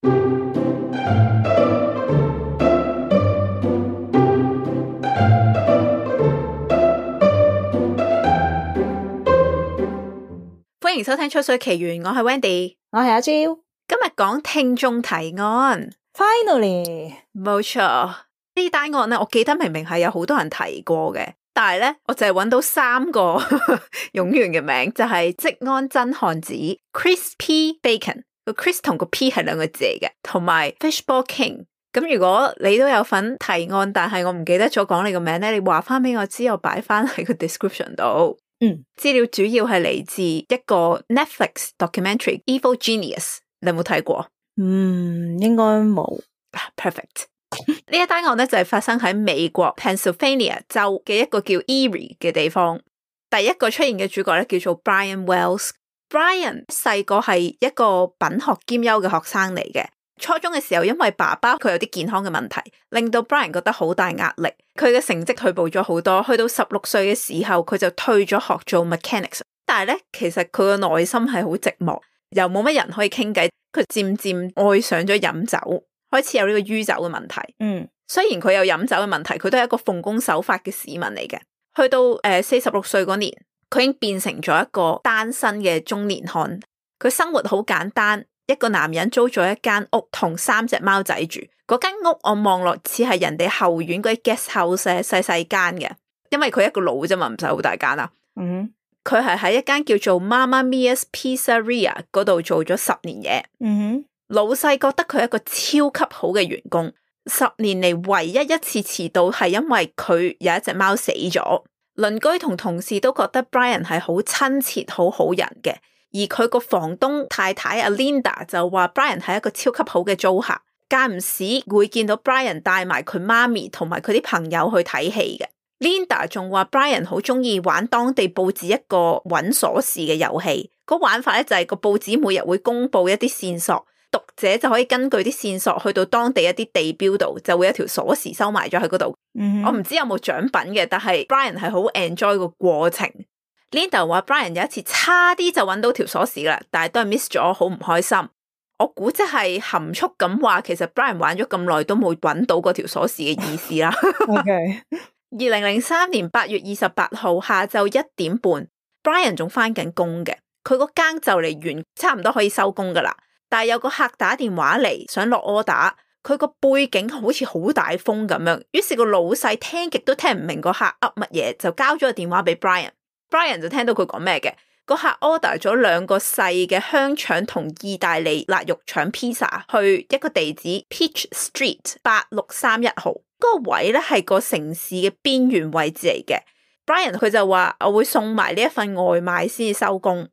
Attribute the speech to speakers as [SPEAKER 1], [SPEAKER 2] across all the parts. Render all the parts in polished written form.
[SPEAKER 1] 歡迎收聽《吹水奇緣》，我係 Wendy，
[SPEAKER 2] 我係阿 Jill。
[SPEAKER 1] 今日講聽眾提案
[SPEAKER 2] Finally，
[SPEAKER 1] 冇錯，呢單案咧，我記得明明係有好多人提過嘅，但係咧我淨係揾到3個冗員嘅名，就係職安真漢子 Chris P Bacon， 個 Chris 同個 P 係2個字嚟嘅，同埋 Fishball King。咁如果你都有份提案，但係我唔記得咗講你個名咧，你話翻俾我知，我擺翻喺個 description 度。資料主要係嚟自一個 Netflix documentary Evil Genius， 你有冇睇過？
[SPEAKER 2] 應該冇。
[SPEAKER 1] Perfect。呢一單案咧就係發生喺美國 Pennsylvania 州嘅一個叫 Erie 嘅地方。第一個出現嘅主角咧叫做 Brian Wells。Brian 細個係一個品學兼優嘅學生嚟嘅。初中嘅時候，因為爸爸佢有啲健康嘅問題，令到 Brian 覺得好大壓力，佢嘅成績退步咗好多。去到16歲嘅時候，佢就退咗學做 mechanics。但係咧，其實佢個內心係好寂寞，又冇乜人可以傾偈。佢漸漸愛上咗飲酒，開始有呢個酗酒嘅問題。雖然佢有飲酒嘅問題，佢都係一個奉公守法嘅市民嚟嘅。去到46歲嗰年，佢已經變成咗一個單身嘅中年漢。佢生活好簡單。一個男人租咗一間屋同3隻貓仔住，嗰間屋我望落似係人哋後院嗰啲 guest house， 細細間嘅，因為佢一個佬啫嘛，唔使好大間啦。佢係喺一間叫做 Mamma Mia's Pizzeria 嗰度做咗10年嘢。老細覺得佢係一個超級好嘅員工。10年嚟唯一一次遲到係因為佢有一隻貓死咗。鄰居同同事都覺得 Brian 係好親切好好人嘅。而佢個房東太太阿 Linda 就話 Brian 係一個超級好嘅租客，間唔時會見到 Brian 帶埋佢媽咪同埋佢啲朋友去睇戲嘅。Linda 仲話 Brian 好中意玩當地報紙一個揾鎖匙嘅遊戲，個玩法咧就係個報紙每日會公布一啲線索，讀者就可以根據啲線索去到當地一啲地標度，就會有條鎖匙收埋咗喺嗰度。我唔知有冇獎品嘅，但係 Brian 係好 enjoy 個過程。Linda 話 Brian 有一次差啲就揾到條鎖匙啦，但係都係 miss 咗，好唔開心。我估即係含蓄咁話，其實 Brian 玩咗咁耐都冇揾到嗰條鎖匙嘅意思啦。2003年8月28號下晝1點半 ，Brian 仲返緊工嘅，佢個更就嚟完，差唔多可以收工噶啦。但係有個客打電話嚟想落 order， 佢個背景好似好大風咁樣，於是個老細聽極都聽唔明個客噏乜嘢，就交咗個電話俾 Brian。Brian 就聽到佢講咩嘅，個客 order 咗2個細嘅香腸同意大利辣肉腸 pizza 去一個地址 Peach Street 8631號，嗰個位咧係個城市嘅邊緣位置嚟嘅。Brian 佢就話我會送埋呢一份外賣先至收工。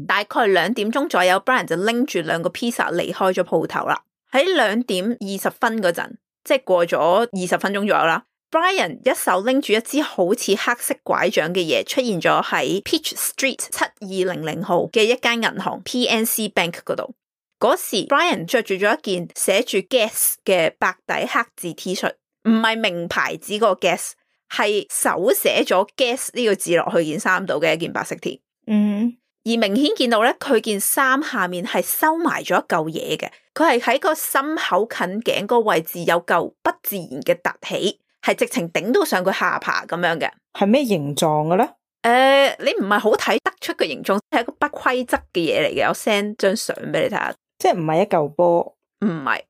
[SPEAKER 1] 大概2點鐘左右 Brian 就拎住2個 pizza 離開咗鋪頭啦。喺2點20分嗰陣，即係過咗20分鐘左右啦。Brian 一手拎住一支好似黑色拐杖嘅嘢，出現咗喺 Peach Street 7200號嘅一間銀行 PNC Bank 嗰度。嗰時 Brian 着住咗一件寫住 Guess 嘅白底黑字 T 恤，唔係名牌子個 Guess， 係手寫咗 Guess 呢個字落去件衫度嘅一件白色 T。而明顯見到咧，佢件衫下面係收埋咗一嚿嘢嘅，佢係喺個心口近頸個位置有嚿不自然嘅凸起。係直情頂到上佢下巴咁樣嘅。係
[SPEAKER 2] 咩形狀嘅咧？
[SPEAKER 1] 你唔係好睇得出個形狀，係一個不規則嘅嘢嚟嘅。我 send 張相俾你睇下，
[SPEAKER 2] 即係唔係一嚿波？
[SPEAKER 1] 唔係。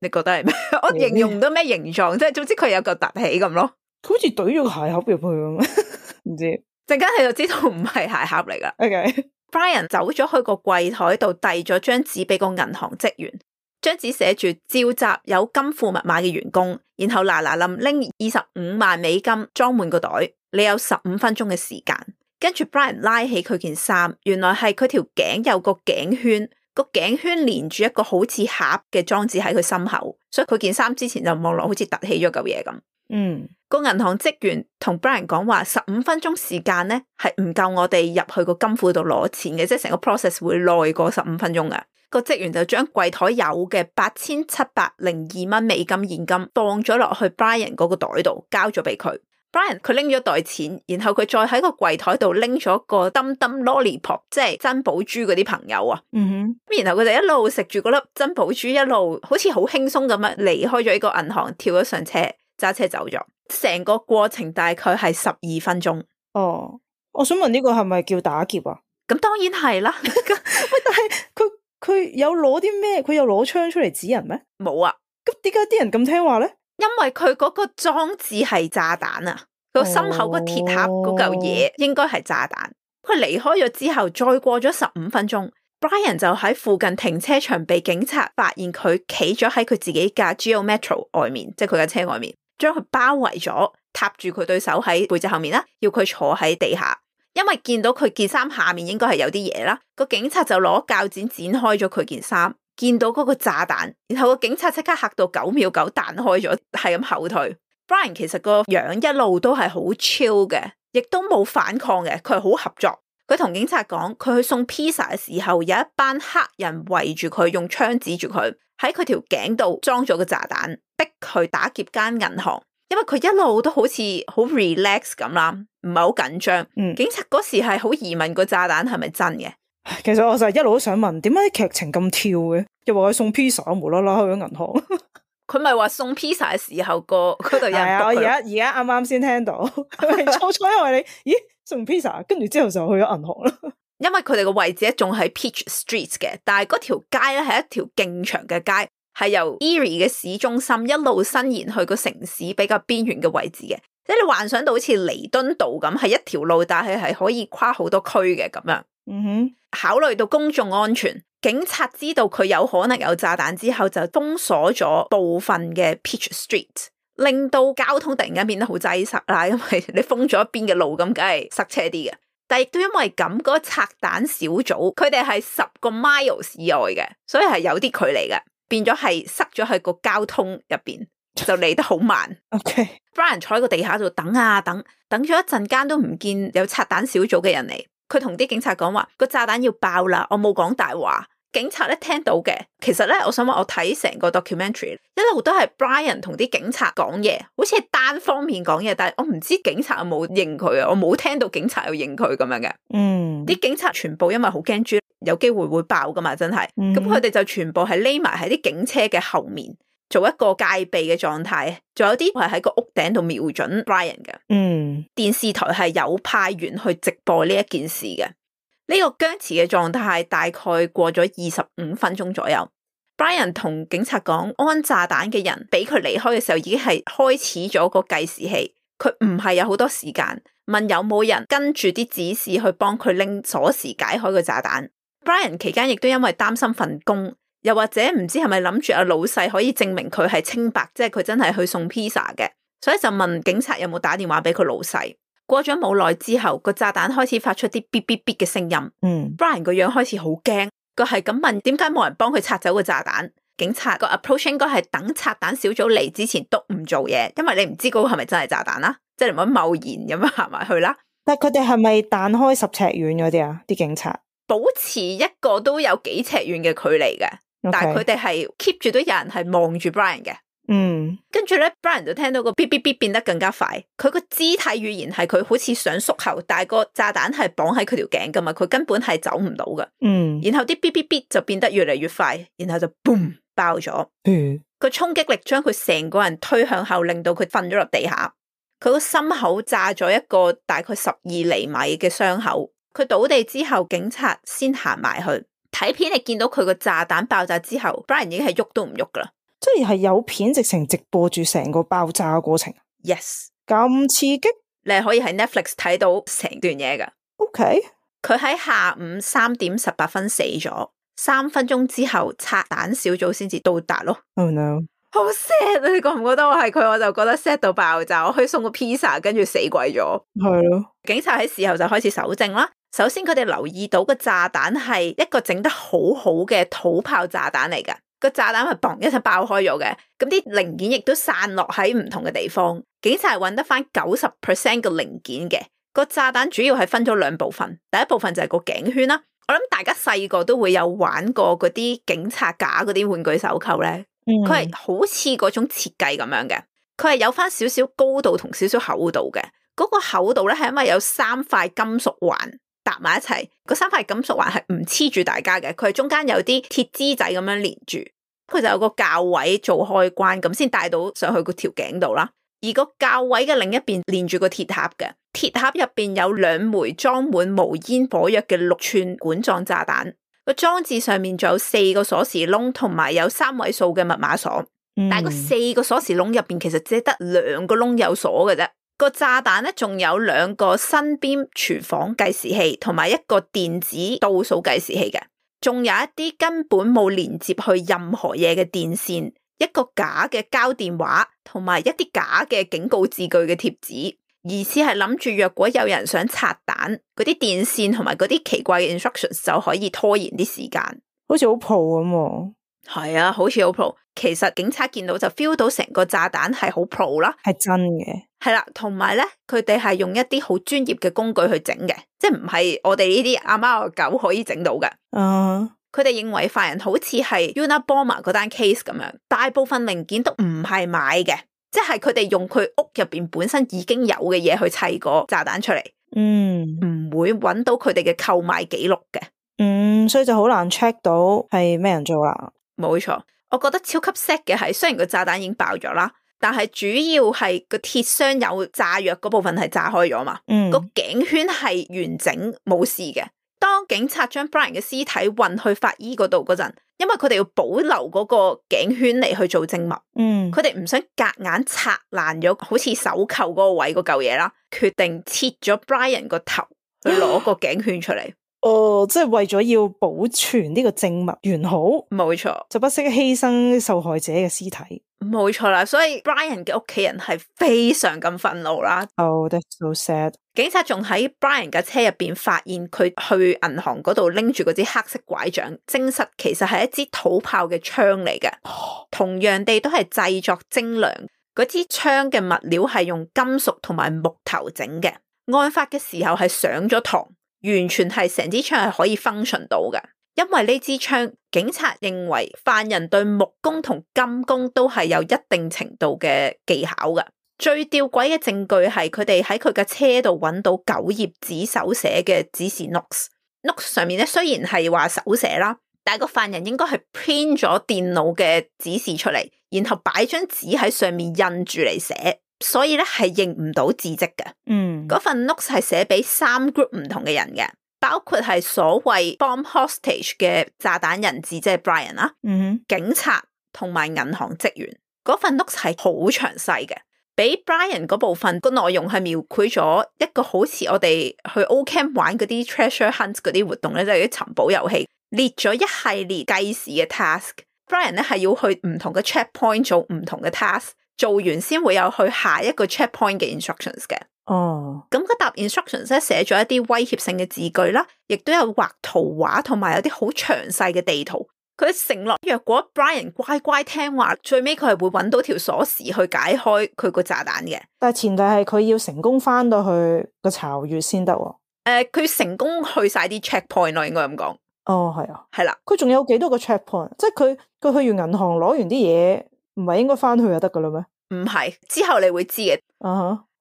[SPEAKER 1] 你覺得係咩？我形容唔到咩形狀，即係總之佢有嚿凸起咁咯。
[SPEAKER 2] 佢好似懟咗個鞋盒入去咁，唔知。陣
[SPEAKER 1] 間你就知道唔係鞋盒嚟噶。Brian 走咗去個櫃台度遞咗張紙俾個銀行職員。張紙寫住召集有金庫密碼嘅員工，然後嗱臨拎25萬美金裝滿個袋，你有15分鐘嘅時間。跟住 Brian 拉起佢件衫，原來係佢條頸有個頸圈，個頸圈連住一個好似盒嘅裝置喺佢心口，所以佢件衫之前就望落好似凸起咗嚿嘢咁。個銀行職員同 Brian 講話15分鐘時間咧係唔夠我哋入去個金庫度攞錢嘅，即係成個 process 會耐過15分鐘嘅。個職員就將櫃台有嘅8702蚊美金現金放咗落去 Brian 嗰個袋度，交咗俾佢。Brian 佢拎咗袋錢，然後佢再喺個櫃台度拎咗個燈燈 lollipop， 即係珍寶珠嗰啲朋友啊。然後佢哋一路食住嗰粒珍寶珠，一路好似好輕鬆咁樣離開咗呢個銀行，跳咗上車，揸車走咗。成個過程大概係12分鐘。
[SPEAKER 2] 哦，我想問呢個係咪叫打劫啊？
[SPEAKER 1] 咁當然係啦。
[SPEAKER 2] 喂，但係佢有攞啲咩？佢有攞槍出嚟指人咩？
[SPEAKER 1] 冇啊。
[SPEAKER 2] 咁點解啲人咁聽話咧？
[SPEAKER 1] 因為佢嗰個裝置係炸彈啊，佢心口個鐵盒嗰嚿嘢應該係炸彈。佢離開咗之後，再過咗15分鐘 ，Brian 就喺附近停車場被警察發現佢企咗喺佢自己架 Geo Metro 外面，即係佢架車外面，將佢包圍咗，踏住佢對手喺背脊後面啦，要佢坐喺地下。因為見到佢件衫下面應該係有啲嘢啦，個警察就攞鉸剪剪開咗佢件衫。見到嗰個炸彈，然後個警察即刻嚇到9秒9彈開咗，係咁後退。Brian 其實個樣一路都係好 chill 嘅，亦都冇反抗嘅，佢係好合作。佢同警察講，佢去送 pizza 嘅時候，有一班黑人圍住佢，用槍指住佢，喺佢條頸度裝咗個炸彈，逼佢打劫間銀行。因為佢一路都好似好 relax 咁啦，唔係好緊張。警察嗰時係好疑問個炸彈係咪真嘅。
[SPEAKER 2] 其實我就一路都想問，點解啲劇情咁跳嘅？又話佢送 pizza， 無啦啦去咗銀行。
[SPEAKER 1] 佢咪話送 pizza 嘅時候嗰度有人
[SPEAKER 2] 係啊，我而家啱啱先聽到，初初因為你，咦送 pizza， 跟住之後就去咗銀行啦。
[SPEAKER 1] 因為佢哋個位置仲喺 Peach Street 嘅，但係嗰條街咧係一條勁長嘅街，係由 Erie 嘅市中心一路伸延去個城市比較邊緣嘅位置嘅。即係你幻想到好似彌敦道咁，係一條路，但係可以跨好多區嘅咁樣。考慮到公眾安全，警察知道佢有可能有炸彈之後，就封鎖咗部分嘅 Peach Street， 令到交通突然間變得好擠塞啦。因為你封咗一邊嘅路，咁梗係塞車啲嘅。但亦都因為咁，嗰個拆彈小組佢哋係10個 miles 以外嘅，所以係有啲距離嘅，變咗係塞咗喺個交通入邊，就嚟得好慢。Brian 坐喺個地下度等啊等咗一陣間都唔見有拆彈小組嘅人嚟。佢同啲警察講話個炸彈要爆啦，我冇講大話。警察咧聽到嘅，其實咧我想話我睇成個 documentary 一路都係 Brian 同啲警察講嘢，好似係單方面講嘢，但係我唔知警察有冇認佢啊，我冇聽到警察有認佢咁樣嘅。啲警察全部因為好驚豬有機會會爆噶嘛，真係。咁佢哋就全部係匿埋喺啲警車嘅後面，做一個戒備嘅狀態，仲有啲係喺個屋頂度瞄準 Brian 嘅。電視台係有派員去直播呢一件事嘅。呢個僵持嘅狀態大概過咗25分鐘左右。Brian 同警察講，安炸彈嘅人俾佢離開嘅時候已經係開始咗個計時器，佢唔係有好多時間，問有冇人跟住啲指示去幫佢拎鎖匙解開個炸彈。Brian 期間亦都因為擔心份工，又或者唔知係咪諗住阿老細可以證明佢係清白，即係佢真係去送 pizza 嘅，所以就問警察有冇打電話俾佢老細。過咗冇耐之後，個炸彈開始發出啲嗶嗶嗶嘅聲音。Brian 個樣開始好驚，佢係咁問點解冇人幫佢拆走個炸彈。警察個 approach 應該係等拆彈小組嚟之前都唔做嘢，因為你唔知嗰個係咪真係炸彈啦，即係你唔好貿然咁樣行埋去啦。
[SPEAKER 2] 但係佢哋係咪彈開10尺遠嗰啲啊？啲警察
[SPEAKER 1] 保持一個都有幾尺遠嘅距離嘅，但係佢哋係 keep 住都有人係望住 Brian 嘅。跟住咧 Brian 就聽到個嗶嗶嗶變得更加快，佢個肢體語言係佢好似想縮後，但係個炸彈係綁喺佢條頸噶嘛，佢根本係走唔到噶。然後啲嗶嗶嗶就變得越嚟越快，然後就 boom 爆咗。個衝擊力將佢成個人推向後，令到佢瞓咗落地下。佢個心口炸咗一個大概12厘米嘅傷口。佢倒地之後，警察先行埋去睇片，你見到佢個炸彈爆炸之後 Brian 已經係喐都唔喐噶啦。
[SPEAKER 2] 即係有片直情直播住成個爆炸嘅過程。
[SPEAKER 1] Yes，
[SPEAKER 2] 咁刺激，
[SPEAKER 1] 你係可以喺 Netflix 睇到成段嘢噶。
[SPEAKER 2] OK，
[SPEAKER 1] 佢喺下午3點18分死咗，3分鐘之後拆彈小組先至到達咯。
[SPEAKER 2] Oh no，
[SPEAKER 1] 好 sad 啊！你覺唔覺得我係佢，我就覺得 sad 到爆炸。我去送個 pizza， 跟住死鬼咗。
[SPEAKER 2] 係咯，
[SPEAKER 1] 警察喺事後就開始搜證啦。首先佢哋留意到個炸彈係一個整得好好嘅土炮炸彈嚟噶。個炸彈係嘣一聲爆開咗嘅，咁啲零件亦都散落喺唔同嘅地方。警察係揾得翻90% 嘅零件嘅。個炸彈主要係分咗2部分，第一部分就係個頸圈啦。我諗大家細個都會有玩過嗰啲警察架嗰啲玩具手扣咧，佢係好似嗰種設計咁樣嘅，佢係有翻少少高度同少少厚度嘅。嗰個厚度咧係因為有3塊金屬環搭埋一齊，嗰3塊金屬環係唔黐住大家嘅，佢係中間有啲鐵枝仔咁樣連住，佢就有個鉸位做開關，咁先帶到上去個條頸度啦。而個鉸位嘅另一邊連住個鐵盒嘅，鐵盒入邊有2枚裝滿無煙火藥嘅6寸管狀炸彈，個裝置上面仲有4個鎖匙窿，同埋有3位數嘅密碼鎖。但係個4個鎖匙窿入邊其實只係得2個窿有鎖嘅啫。個炸彈咧仲有2個身邊廚房計時器，同埋一個電子倒數計時器嘅，仲有一啲根本冇連接去任何嘢嘅電線，一個假嘅膠電話，同埋一啲假嘅警告字句嘅貼紙，疑似係諗住若果有人想拆彈，嗰啲電線同埋嗰啲奇怪嘅 instructions 就可以拖延啲時間，
[SPEAKER 2] 好似好 pro 咁喎。
[SPEAKER 1] 係啊，好似好 pro。其實警察見到就 feel 到成個炸彈係好 pro 啦，
[SPEAKER 2] 係真嘅。
[SPEAKER 1] 係啦，同埋咧，佢哋係用一啲好專業嘅工具去整嘅，即係唔係我哋呢啲阿貓阿狗可以整到嘅。佢哋認為犯人好似係 Unabomber 嗰單 case 咁樣，大部分零件都唔係買嘅，即係佢哋用佢屋入邊本身已經有嘅嘢去砌個炸彈出嚟，唔會揾到佢哋嘅購買記錄嘅。
[SPEAKER 2] 所以就好難 check 到係咩人做啦。
[SPEAKER 1] 冇錯，我覺得超級 sad 嘅係，雖然個炸彈已經爆咗啦，但係主要係個鐵箱有炸藥嗰部分係炸開咗嘛，個頸圈係完整冇事嘅。當警察將 Brian 嘅屍體運去法醫嗰度嗰陣，因為佢哋要保留嗰個頸圈嚟去做證物，佢哋唔想夾硬拆爛咗好似手扣嗰個位嗰嚿嘢啦，決定切咗 Brian 個頭去攞個頸圈出嚟。
[SPEAKER 2] 即係為咗要保存呢個證物完好，
[SPEAKER 1] 冇錯，
[SPEAKER 2] 就不惜犧牲受害者嘅屍體。
[SPEAKER 1] 冇錯啦，所以 Brian 嘅屋企人係非常咁憤怒啦。
[SPEAKER 2] That's so sad。警
[SPEAKER 1] 察仲喺 Brian 嘅車入邊發現佢去銀行嗰度拎住嗰支黑色拐杖，證實其實係一支土炮嘅槍嚟嘅。同樣地都係製作精良，嗰支槍嘅物料係用金屬同埋木頭整嘅。案發嘅時候係上咗膛，完全係成支槍係可以 function 到嘅。因為呢支槍，警察認為犯人對木工同金工都係有一定程度嘅技巧嘅。最吊詭嘅證據係佢哋喺佢嘅車度揾到9頁紙手寫嘅指示 notes 上面咧，雖然係話手寫啦，但係個犯人應該係 print 咗電腦嘅指示出嚟，然後擺張紙喺上面印住嚟寫，所以咧係認唔到字跡嘅。嗰份 notes 係寫俾3 group 唔同嘅人嘅。包括係所謂 bomb hostage 嘅炸彈人質，即係 Brian 啦，警察同埋銀行職員。嗰份 notes 係好詳細嘅，比 Brian 嗰部分個內容係描繪咗一個好似我哋去 O-Camp 玩嗰啲 treasure hunt 嗰啲活動咧，即係啲尋寶遊戲，列咗一系列計時嘅 task。Brian 咧係要去唔同嘅 checkpoint 做唔同嘅 task， 做完先會有去下一個 checkpoint 嘅 instructions 嘅。咁嗰沓 instructions 咧寫咗一啲威脅性嘅字句啦，亦都有畫圖畫同埋有啲好詳細嘅地圖。佢承諾若果 Brian 乖乖聽話，最尾佢係會揾到條鎖匙去解開佢個炸彈嘅。
[SPEAKER 2] 但係前提係佢要成功翻到去個巢穴先得。
[SPEAKER 1] 佢成功去晒啲 checkpoint 咯，應該咁講。
[SPEAKER 2] 係啊，
[SPEAKER 1] 係啦。
[SPEAKER 2] 佢仲有幾多個 checkpoint？即係佢去完銀行攞完啲嘢，唔係應該翻去就得噶啦咩？
[SPEAKER 1] 唔係，之後你會知嘅。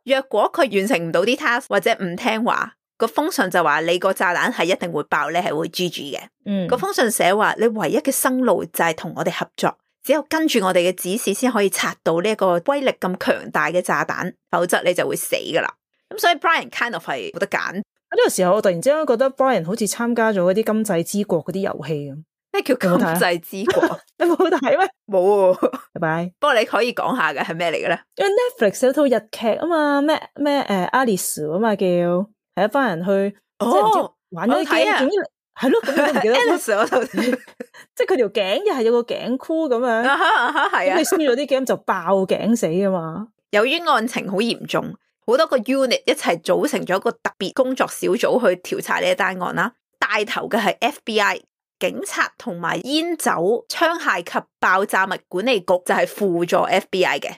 [SPEAKER 1] 若果佢完成唔到啲 task 或者唔聽話，個封信就話你個炸彈係一定會爆，你係會 GG 嘅。個封信寫話你唯一嘅生路就係同我哋合作，只有跟住我哋嘅指示先可以拆到呢一個威力咁強大嘅炸彈，否則你就會死噶啦。咁所以 Brian kind of 係冇得揀。
[SPEAKER 2] 呢個時候我突然之間覺得 Brian 好似參加咗嗰啲今際之國嗰啲遊戲咁。
[SPEAKER 1] 咩叫今際之國？
[SPEAKER 2] 你冇睇咩？
[SPEAKER 1] 冇。
[SPEAKER 2] 拜拜。
[SPEAKER 1] 不過你可以講下嘅係咩嚟嘅咧？
[SPEAKER 2] 因為 Netflix 有套日劇啊嘛，咩Alice 啊嘛，叫係一班人去即係唔知玩咗啲 game，係咯，咁你都唔記得
[SPEAKER 1] Alice 嗰套，
[SPEAKER 2] 即係佢條頸又係有個頸箍咁樣，
[SPEAKER 1] 係啊，
[SPEAKER 2] 你輸咗啲 game 就爆頸死啊嘛。
[SPEAKER 1] 由於案情好嚴重，好多個 unit 一齊組成咗一個特別工作小組去調查呢一單案啦。帶頭嘅係 FBI。警察同埋煙酒、槍械及爆炸物管理局就係輔助 FBI 嘅。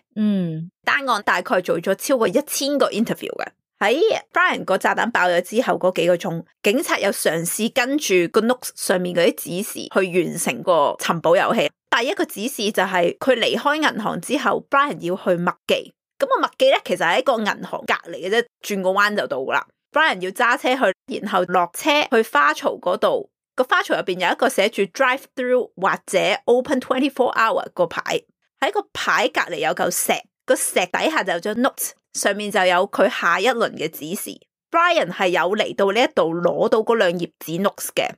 [SPEAKER 1] 單案大概做咗超過1000個 interview 嘅。喺 Brian 個炸彈爆咗之後嗰幾個鐘，警察有嘗試跟住個 notes 上面嗰啲指示去完成個尋寶遊戲。第一個指示就係佢離開銀行之後 ，Brian 要去麥記。咁個麥記咧其實喺個銀行隔籬嘅啫，轉個彎就到啦。Brian 要揸車去，然後落車去花槽嗰度，個花槽入邊有一個寫住 drive through 或者 open 24 hour 個牌，喺個牌隔籬有嚿石，個石底下就有張 note， 上面就有佢下一輪嘅指示。Brian 係有嚟到呢一度攞到嗰兩頁紙 notes 嘅。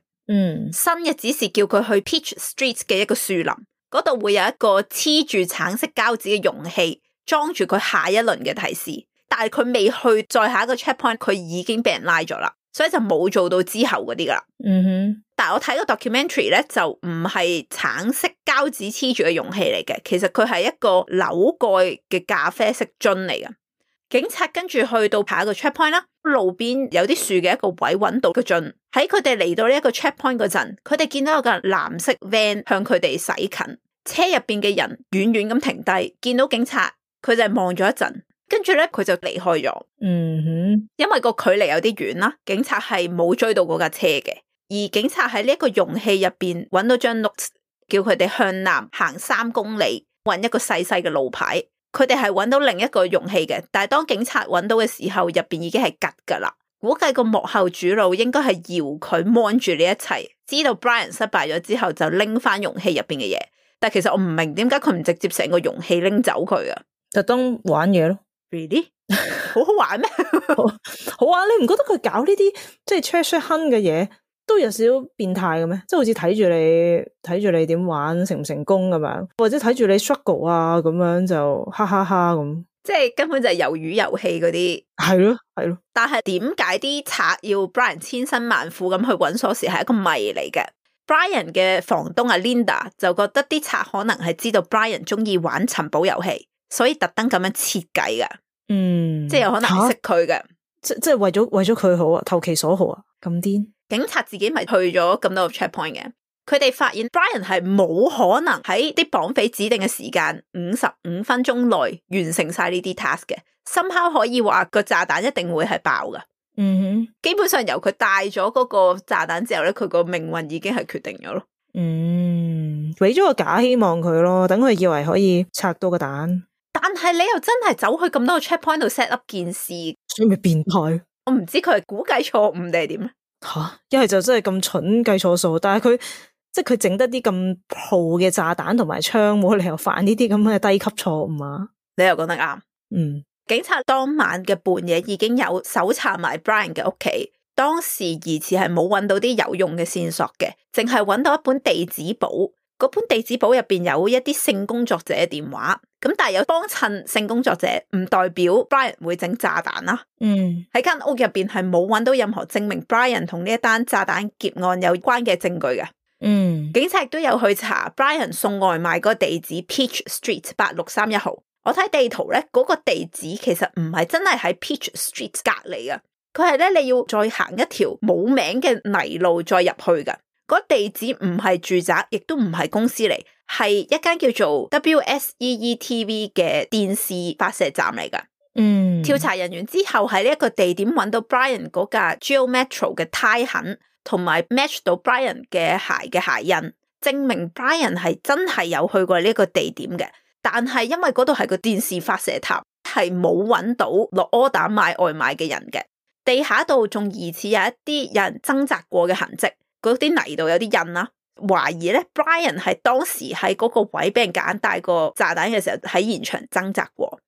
[SPEAKER 1] 新嘅指示叫佢去 Peach Street 嘅一個樹林，嗰度會有一個黐住橙色膠紙嘅容器，裝住佢下一輪嘅提示。但係佢未去再下一個 checkpoint， 佢已經俾人拉咗啦，所以就冇做到之後嗰啲噶啦。但係我睇個 documentary 咧，就唔係橙色膠紙黐住嘅容器嚟嘅，其實佢係一個扭蓋嘅咖啡色樽嚟嘅。警察跟住去到下一個 checkpoint 啦，路邊有啲樹嘅一個位揾到個樽。喺佢哋嚟到呢一個 checkpoint 嗰陣，佢哋見到有個藍色 van 向佢哋駛近，車入邊嘅人遠遠咁停低，見到警察，佢就係望咗一陣，跟住咧佢就離開咗。因為個距離有啲遠啦，警察係冇追到嗰架車嘅，而警察喺呢一個容器入邊揾到張 note， 叫佢哋向南行3公里，揾一個細細嘅路牌。佢哋係揾到另一個容器嘅，但係當警察揾到嘅時候，入邊已經係吉噶啦。估計個幕後主腦應該係搖佢 mon 住呢一切，知道 Brian 失敗咗之後就拎翻容器入邊嘅嘢。但係其實我唔明點解佢唔直接成個容器拎走佢啊？
[SPEAKER 2] 特登玩嘢咯
[SPEAKER 1] ，really 好好玩咩？
[SPEAKER 2] 好玩，你唔覺得佢搞呢啲即係 treasure hunt 嘅嘢都有少少變態嘅咩？即係好似睇住你點玩成唔成功咁樣，或者睇住你 struggle 啊咁樣就哈哈哈咁，即
[SPEAKER 1] 係根本就係魷魚遊戲嗰啲。
[SPEAKER 2] 係咯係咯。
[SPEAKER 1] 但係點解啲賊要 Brian 千辛萬苦咁去揾鎖匙係一個謎嚟嘅。Brian 嘅房東阿 Linda 就覺得啲賊可能係知道 Brian 中意玩尋寶遊戲，所以特登咁樣設計嘅。即係有可能係識佢嘅，
[SPEAKER 2] 即係為咗佢好啊，投其所好啊，咁癲。
[SPEAKER 1] 警察自己咪去咗咁多個 checkpoint 嘅，佢哋發現 Brian 係冇可能喺啲綁匪指定嘅時間55分鐘內完成晒呢啲 task 嘅，somehow可以話個炸彈一定會係爆噶。基本上由佢帶咗嗰個炸彈之後咧，佢個命運已經係決定咗咯。
[SPEAKER 2] 俾咗個假希望佢咯，等佢以為可以拆到個蛋。
[SPEAKER 1] 但係你又真係走去咁多個 checkpoint 度 set up 件事，
[SPEAKER 2] 所以咪變態。
[SPEAKER 1] 我唔知佢係估計錯誤定係點咧？
[SPEAKER 2] 一係就真係咁蠢計錯數，但係佢即係佢整得啲咁鋪嘅炸彈同埋槍，冇理由犯呢啲咁嘅低級錯誤啊！
[SPEAKER 1] 你又講得啱。警察當晚嘅半夜已經有搜查埋 Brian 嘅屋企，當時疑似係冇揾到啲有用嘅線索嘅，淨係揾到一本地址簿。嗰本地址簿入邊有一啲性工作者嘅電話，咁但係有幫襯性工作者，唔代表 Brian 會整炸彈啦。喺間屋入邊係冇揾到任何證明 Brian 同呢一單炸彈劫案有關嘅證據嘅。警察亦都有去查 Brian 送外賣嗰個地址 Peach Street 8631號。我睇地圖咧，嗰個地址其實唔係真係喺 Peach Street 隔籬嘅，佢係咧你要再行一條冇名嘅泥路再入去噶。嗰地址唔係住宅，亦都唔係公司嚟，係一間叫做 WSEE-TV 嘅電視發射站嚟噶。調查人員之後喺呢一個地點揾到 Brian 嗰架 Geo Metro 嘅胎痕，同埋 match 到 Brian 嘅鞋嘅鞋印，證明 Brian 係真係有去過呢個地點嘅。但係因為嗰度係個電視發射塔，係冇揾到落柯打買外賣嘅人嘅。地下度仲疑似有一啲有人掙扎過嘅痕跡。嗰啲泥度有啲印啦，懷疑咧 Brian 係當時喺嗰個位俾人夾硬帶個炸彈嘅時候喺現場掙扎過。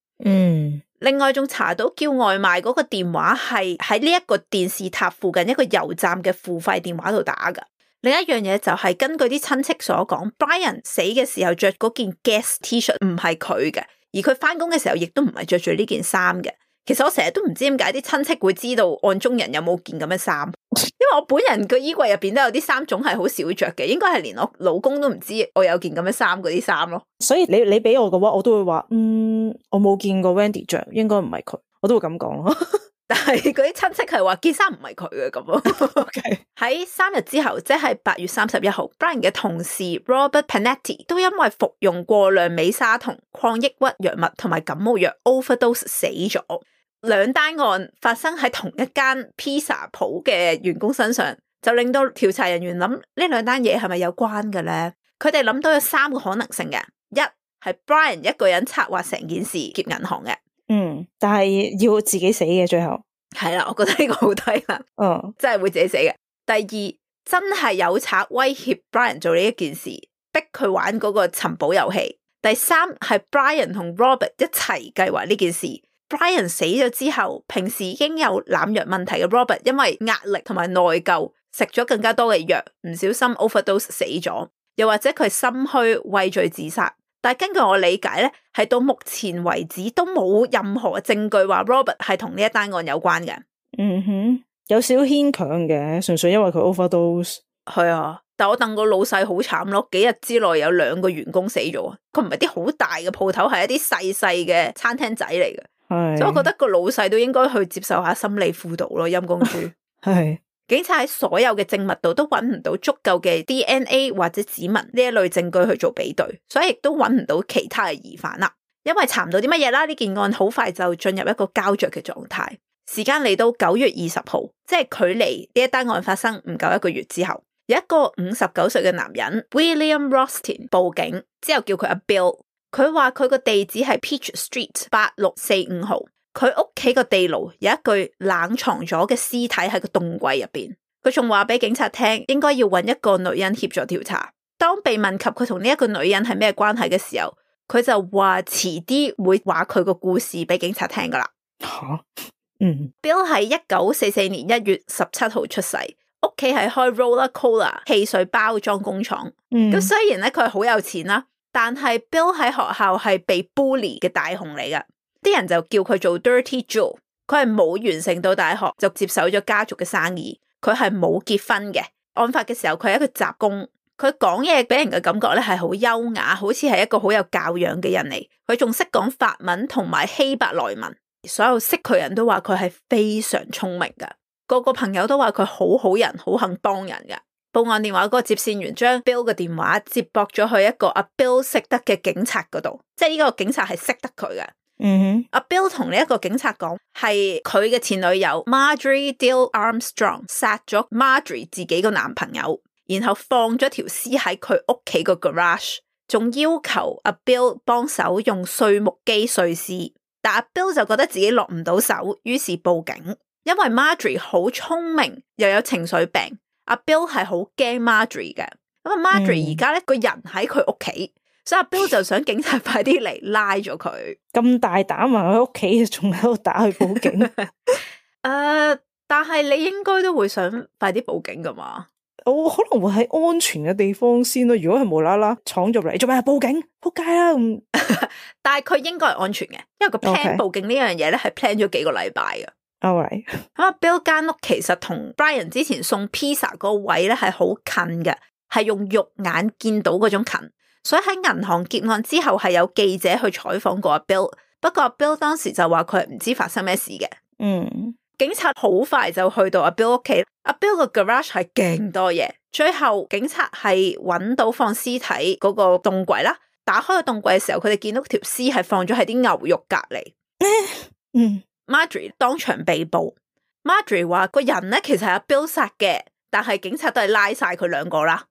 [SPEAKER 1] 另外仲查到叫外賣嗰個電話係喺呢一個電視塔附近一個油站嘅付費電話度打噶。另一樣嘢就係根據啲親戚所講 ，Brian 死嘅時候着嗰件 Guess T-shirt 唔係佢嘅，而佢翻工嘅時候亦都唔係着住呢件衫嘅。其實我成日都唔知點解啲親戚會知道案中人有冇件咁嘅衫，因為我本人個衣櫃入邊都有啲衫種係好少着嘅，應該係連我老公都唔知我有件咁嘅衫嗰啲衫咯。所以
[SPEAKER 2] 你俾我嘅話，我都會話，我冇見過 Wendy 着，應該唔係佢，我都會咁講咯。
[SPEAKER 1] 但係嗰啲親戚係話件衫唔係佢嘅咁咯。喺3日之後，即係8月31號 ，Brian 嘅同事 Robert Panetti 都因為服用過量美沙酮、抗抑鬱藥物同埋感冒藥 overdose 死咗。兩單案發生喺同一間披薩鋪嘅員工身上，就令到調查人員諗呢兩單嘢係咪有關嘅咧？佢哋諗到有3個可能性嘅，一係 Brian 一個人策劃成件事劫銀行嘅。
[SPEAKER 2] 但係要自己死嘅最後。
[SPEAKER 1] 係啦，我覺得呢個好低能，真係會自己死嘅。第二，真係有賊威脅 Brian 做呢一件事，逼佢玩嗰個尋寶遊戲。第三，係 Brian 同 Robert 一齊計劃呢件事。Brian 死咗之後，平時已經有濫藥問題嘅 Robert 因為壓力同埋內疚，食咗更加多嘅藥，唔小心 overdose 死咗。又或者佢心虛畏罪自殺。但係根據我理解咧，係到目前為止都冇任何證據話 Robert 係同呢一單案有關嘅。
[SPEAKER 2] 有少牽強嘅，純粹因為佢 overdose。
[SPEAKER 1] 係啊，但我戥個老細好慘咯，幾日之內有2個員工死咗。佢唔係啲好大嘅鋪頭，係一啲細細嘅餐廳仔嚟嘅。所以我覺得個老細都應該去接受下心理輔導咯，陰公豬。
[SPEAKER 2] 係。
[SPEAKER 1] 警察喺所有嘅證物度都揾唔到足夠嘅 DNA 或者指紋呢一類證據去做比對，所以亦都揾唔到其他嘅疑犯啦。因為查唔到啲乜嘢啦，呢件案好快就進入一個膠着嘅狀態。時間嚟到9月20號，即係距離呢一單案發生唔夠1個月之後，有一個59歲嘅男人 William Rothstein 報警，之後叫佢阿 Bill。佢話佢個地址係 Peach Street 8645號。佢屋企個地牢有一具冷藏咗嘅屍體喺個凍櫃入邊，佢仲話俾警察聽應該要揾一個女人協助調查。當被問及佢同呢一個女人係咩關係嘅時候，佢就話遲啲會話佢個故事俾警察聽噶啦。Bill 喺1944年1月17號出世，屋企係開 Roller Cola 汽水包裝工廠。咁雖然咧佢係好有錢啦，但係 Bill 喺學校係被 bully 嘅大雄嚟噶。啲人就叫佢做 Dirty Joe， 佢係冇完成到大學就接手咗家族嘅生意，佢係冇結婚嘅。案發嘅時候佢係一個雜工，佢講嘢俾人嘅感覺咧係好優雅，好似係一個好有教養嘅人嚟。佢仲識講法文同埋希伯來文，所有識佢人都話佢係非常聰明噶，個個朋友都話佢好好人，好肯幫人噶。報案電話嗰個接線員將 Bill 嘅電話接駁咗去一個阿 Bill 識得嘅警察嗰度，即係呢個警察係識得佢嘅。阿 Bill 同呢一個警察講，係佢嘅前女友 Marjorie Dale Armstrong 殺咗 Marjorie 自己個男朋友，然後放咗條屍喺佢屋企個 garage， 仲要求阿 Bill 幫手用碎木機碎屍。但阿 Bill 就覺得自己落唔到手，於是報警。因為 Marjorie 好聰明又有情緒病，阿 Bill 係好驚 Marjorie 嘅。咁啊 Marjorie 而家咧個人喺佢屋企，所以阿 Bill 就想警察快啲嚟拉咗佢。
[SPEAKER 2] 咁大膽啊！喺屋企仲喺度打去報警。
[SPEAKER 1] 但係你應該都會想快啲報警噶嘛？
[SPEAKER 2] 我可能會喺安全嘅地方先咯。如果係無啦啦闖入嚟，做咩報警？撲街啦咁。
[SPEAKER 1] 但係佢應該係安全嘅，因為個 plan 報警呢樣嘢咧係 plan 咗幾個禮拜嘅。
[SPEAKER 2] Alright。
[SPEAKER 1] 咁阿 Bill 間屋其實同 Brian 之前送 pizza 嗰個位咧係好近嘅，係用肉眼見到嗰種近。所以喺銀行劫案之後係有記者去採訪過阿 Bill， 不過阿 Bill 當時就話佢係唔知發生咩事嘅。警察好快就去到阿 Bill 屋企，阿 Bill 個 garage 係勁多嘢，最後警察係揾到放屍體嗰個凍櫃啦，打開個凍櫃嘅時候，佢哋見到條屍係放咗喺啲牛肉隔籬。Marjorie 當場被捕。Marjorie 話個人咧其實係阿 Bill 殺嘅，但係警察都係拉晒佢兩個啦。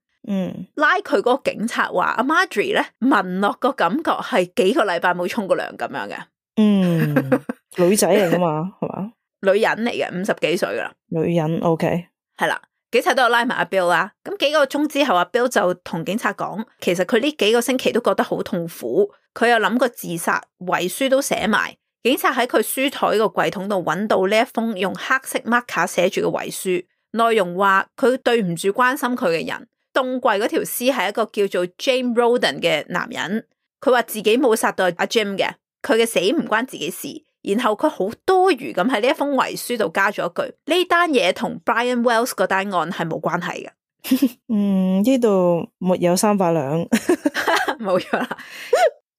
[SPEAKER 1] 拉佢嗰個警察話阿 Marjorie 咧聞落個感覺係幾個禮拜冇沖過涼咁樣嘅。
[SPEAKER 2] 女仔嚟噶嘛，係嘛？
[SPEAKER 1] 女人嚟嘅，50幾歲噶啦。
[SPEAKER 2] 女人 OK
[SPEAKER 1] 係啦，警察都有拉埋阿 Bill 啦。咁幾個鐘之後，阿 Bill 就同警察講，其實佢呢幾個星期都覺得好痛苦，佢有諗過自殺，遺書都寫埋。警察喺佢書台個櫃桶度揾到呢一封用黑色 marker 寫住嘅遺書，內容話佢對唔住關心佢嘅人。凍櫃嗰條屍係一個叫做 James Roden 嘅男人，佢話自己冇殺到阿 Jim 嘅，佢嘅死唔關自己事。然後佢好多餘咁喺呢一封遺書度加咗一句，呢單嘢同 Brian Wells 嗰單案係冇關係嘅。
[SPEAKER 2] 呢度沒有300兩，
[SPEAKER 1] 冇錯啦。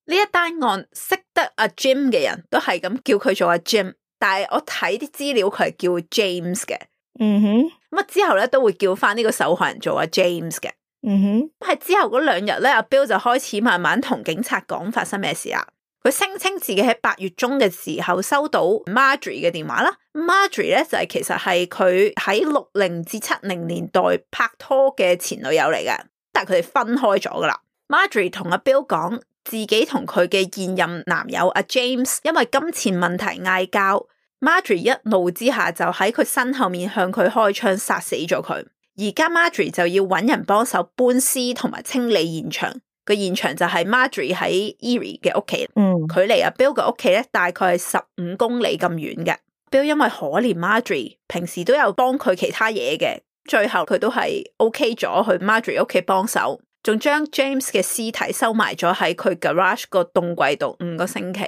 [SPEAKER 1] 呢一單案識得阿 Jim 嘅人都係咁叫佢做阿 Jim， 但係我睇啲資料佢係叫 James 嘅。咁啊之後咧都會叫翻呢個受害人做阿 James 嘅。喺之後嗰2日咧，阿 Bill 就開始慢慢同警察講發生咩事啦。佢聲稱自己喺8月中嘅時候收到 Marjorie 嘅電話啦。Marjorie 咧就係其實係佢喺60至70年代拍拖嘅前女友嚟嘅，但係佢哋分開咗噶啦。Marjorie 同阿 Bill 講，自己同佢嘅現任男友阿 James 因為金錢問題嗌交。Marjorie 一怒之下就喺佢身後面向佢開槍殺死咗佢，而家 Marjorie 就要揾人幫手搬屍同埋清理現場。個現場就係 Marjorie 喺 Erie 嘅屋企，距離阿 Bill 嘅屋企咧大概係15公里咁遠嘅。Bill 因為可憐 Marjorie， 平時都有幫佢其他嘢嘅，最後佢都係 OK 咗去 Marjorie 屋企幫手，仲將 James 嘅屍體收埋咗喺佢 garage 個凍櫃度5個星期。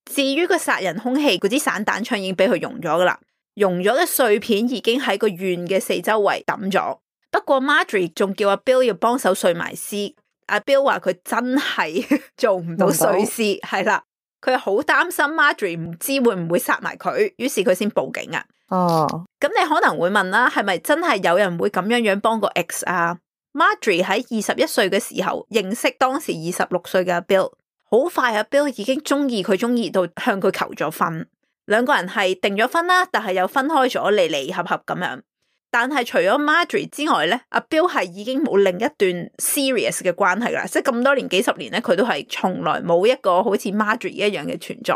[SPEAKER 1] 至於個殺人兇器嗰支散彈槍已經俾佢溶咗噶啦，溶咗嘅碎片已經喺個院嘅四周圍抌咗。不過 Marjorie 仲叫阿 Bill 要幫手碎埋屍，阿 Bill 話佢真係做唔到碎屍，係啦，佢好擔心 Marjorie 唔知會唔會殺埋佢，於是佢先報警啊。咁你可能會問啦，係咪真係有人會咁樣幫個 ex 啊？ Marjorie 喺21歲嘅時候認識當時26歲嘅阿 Bill。好快阿 Bill 已經中意到向佢求咗婚，兩個人係訂咗婚啦，但係又分開咗離離合合咁樣。但係除咗 Marjorie 之外咧，阿 Bill 係已經冇另一段 serious 嘅關係啦，即係咁多年幾十年咧，佢都係從來冇一個好似 Marjorie 一樣嘅存在。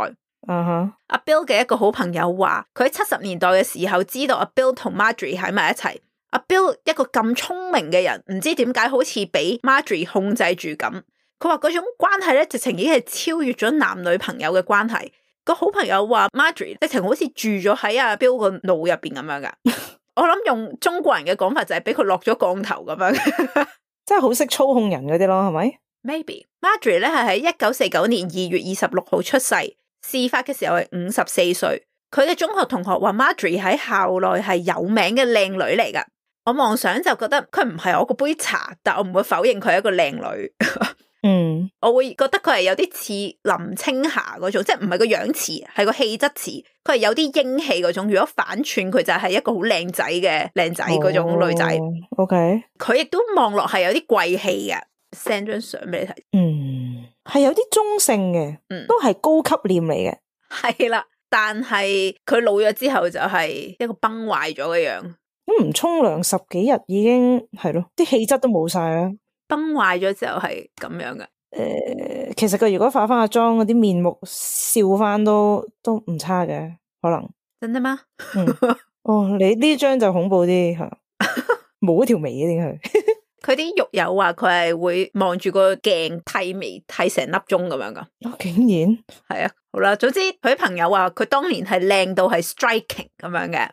[SPEAKER 1] 阿 Bill 嘅一個好朋友話，佢喺70年代嘅時候知道阿 Bill 同 Marjorie 喺埋一齊。阿 Bill 一個咁聰明嘅人，唔知點解好似俾 Marjorie 控制住咁。佢話嗰種關係咧，直情已經係超越咗男女朋友嘅關係。個好朋友話 Marjorie 直情好似住咗喺阿 Bill 個腦入邊咁樣噶。我諗用中國人嘅講法就係俾佢落咗降頭咁樣，
[SPEAKER 2] 真係好識操控人嗰啲咯，係咪
[SPEAKER 1] ？Maybe Marjorie 咧係喺1949年2月26號出世，事發嘅時候係54歲。佢嘅中學同學話 Marjorie 喺校內係有名嘅靚女嚟噶。我妄想就覺得佢唔係我個杯茶，但我唔會否認佢係一個靚女。我會覺得佢係有啲似林青霞嗰種，即係唔係個樣似，係個氣質似，佢係有啲英氣嗰種。如果反串佢就係一個好靚仔嘅靚仔嗰種女仔。
[SPEAKER 2] OK，
[SPEAKER 1] 佢亦都望落係有啲貴氣嘅。send 張相俾你睇。
[SPEAKER 2] 係有啲中性嘅，都係高級臉嚟嘅。
[SPEAKER 1] 係啦，但係佢老咗之後就係一個崩壞咗嘅樣。
[SPEAKER 2] 咁唔沖涼10幾日已經係咯，啲氣質都冇晒啦。
[SPEAKER 1] 崩壞咗之後係咁樣嘅。
[SPEAKER 2] 其實佢如果化翻個妝，嗰啲面目笑翻都唔差嘅，可能。
[SPEAKER 1] 真的嗎？
[SPEAKER 2] 你呢張就恐怖啲吓，冇一條眉嘅點係？
[SPEAKER 1] 佢啲獄友話佢係會望住個鏡剃眉剃成粒鐘咁樣噶。
[SPEAKER 2] 竟然
[SPEAKER 1] 係啊，好啦，總之佢朋友話佢當年係靚到係 striking 咁樣嘅。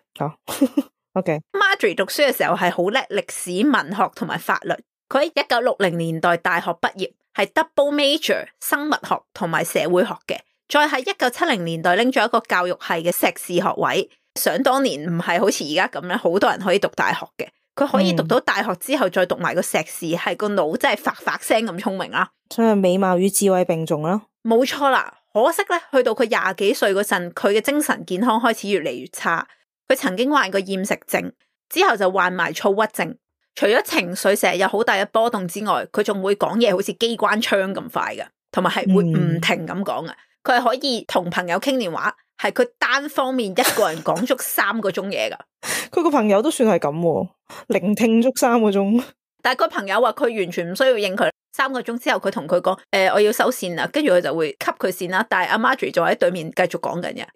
[SPEAKER 2] OK。
[SPEAKER 1] Marjorie 讀書嘅時候係好叻歷史、文學同埋法律。佢喺1960年代大學畢業，係 double major 生物學同埋社會學嘅。再喺1970年代拎咗一個教育系嘅碩士學位。想當年唔係好似而家咁樣，好多人可以讀大學嘅。佢可以讀到大學之後再讀埋個碩士，係個腦真係發聲咁聰明啦。
[SPEAKER 2] 所以美貌與智慧並重啦。
[SPEAKER 1] 冇錯啦，可惜咧，去到佢20幾歲嗰陣，佢嘅精神健康開始越嚟越差。佢曾經患過厭食症，之後就患埋躁鬱症。除咗情緒成日有好大嘅波動之外，佢仲會講嘢好似機關槍咁快嘅，同埋係會唔停咁講嘅。佢係可以同朋友傾電話，係佢單方面一個人講足3個鐘嘢噶。
[SPEAKER 2] 佢個朋友都算係咁，聆聽足3個鐘。
[SPEAKER 1] 但係個朋友話佢完全唔需要應佢，3個鐘之後佢同佢講，我要收線啦，跟住佢就會吸佢線啦。但係阿 Marjorie 就喺對面繼續講緊嘅。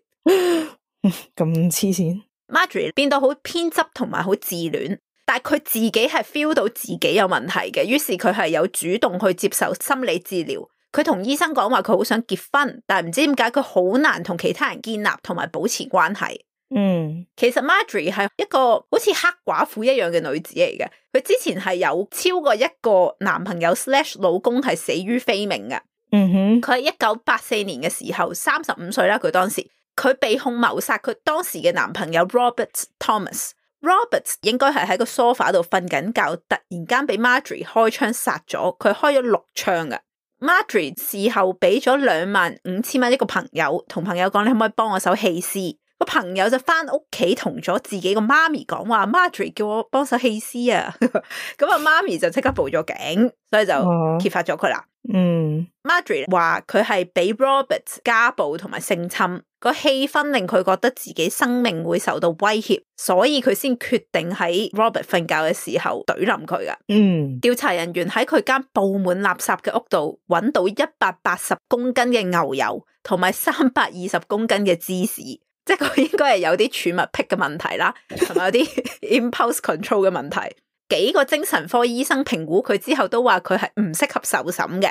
[SPEAKER 2] 咁黐線。
[SPEAKER 1] Marjorie 變到好偏執同埋好自戀。但係佢自己係 feel 到自己有問題嘅，於是佢係有主動去接受心理治療。佢同醫生講話佢好想結婚，但係唔知點解佢好難同其他人建立同埋保持關係。其實 Marjorie 係一個好似黑寡婦一樣嘅女子嚟嘅。佢之前係有超過一個男朋友/老公係死於非命嘅。佢喺1984年嘅時候35歲啦，佢當時佢被控謀殺佢當時嘅男朋友 Robert Thomas。Robert 應該係喺個 sofa 度瞓緊覺，突然間俾 Marjorie 開槍殺咗，佢開咗6槍嘅。Marjorie 事後俾咗25,000蚊一個朋友，同朋友講你可唔可以幫我手棄屍？個朋友就翻屋企同咗自己個媽咪講話 ，Marjorie 叫我幫手棄屍啊，咁啊媽咪就即刻報咗警，所以就揭發咗佢啦。Marjorie 話佢係俾 Robert 家暴同埋性侵，個氣氛令佢覺得自己生命會受到威脅，所以佢先決定喺 Robert 瞓覺嘅時候懟冧佢噶。調查人員喺佢間布滿垃圾嘅屋度揾到180公斤嘅牛油同埋320公斤嘅芝士，即係佢應該係有啲儲物癖嘅問題啦，同埋有啲 impulse control 嘅問題。幾個精神科醫生評估佢之後都話佢係唔適合受審嘅，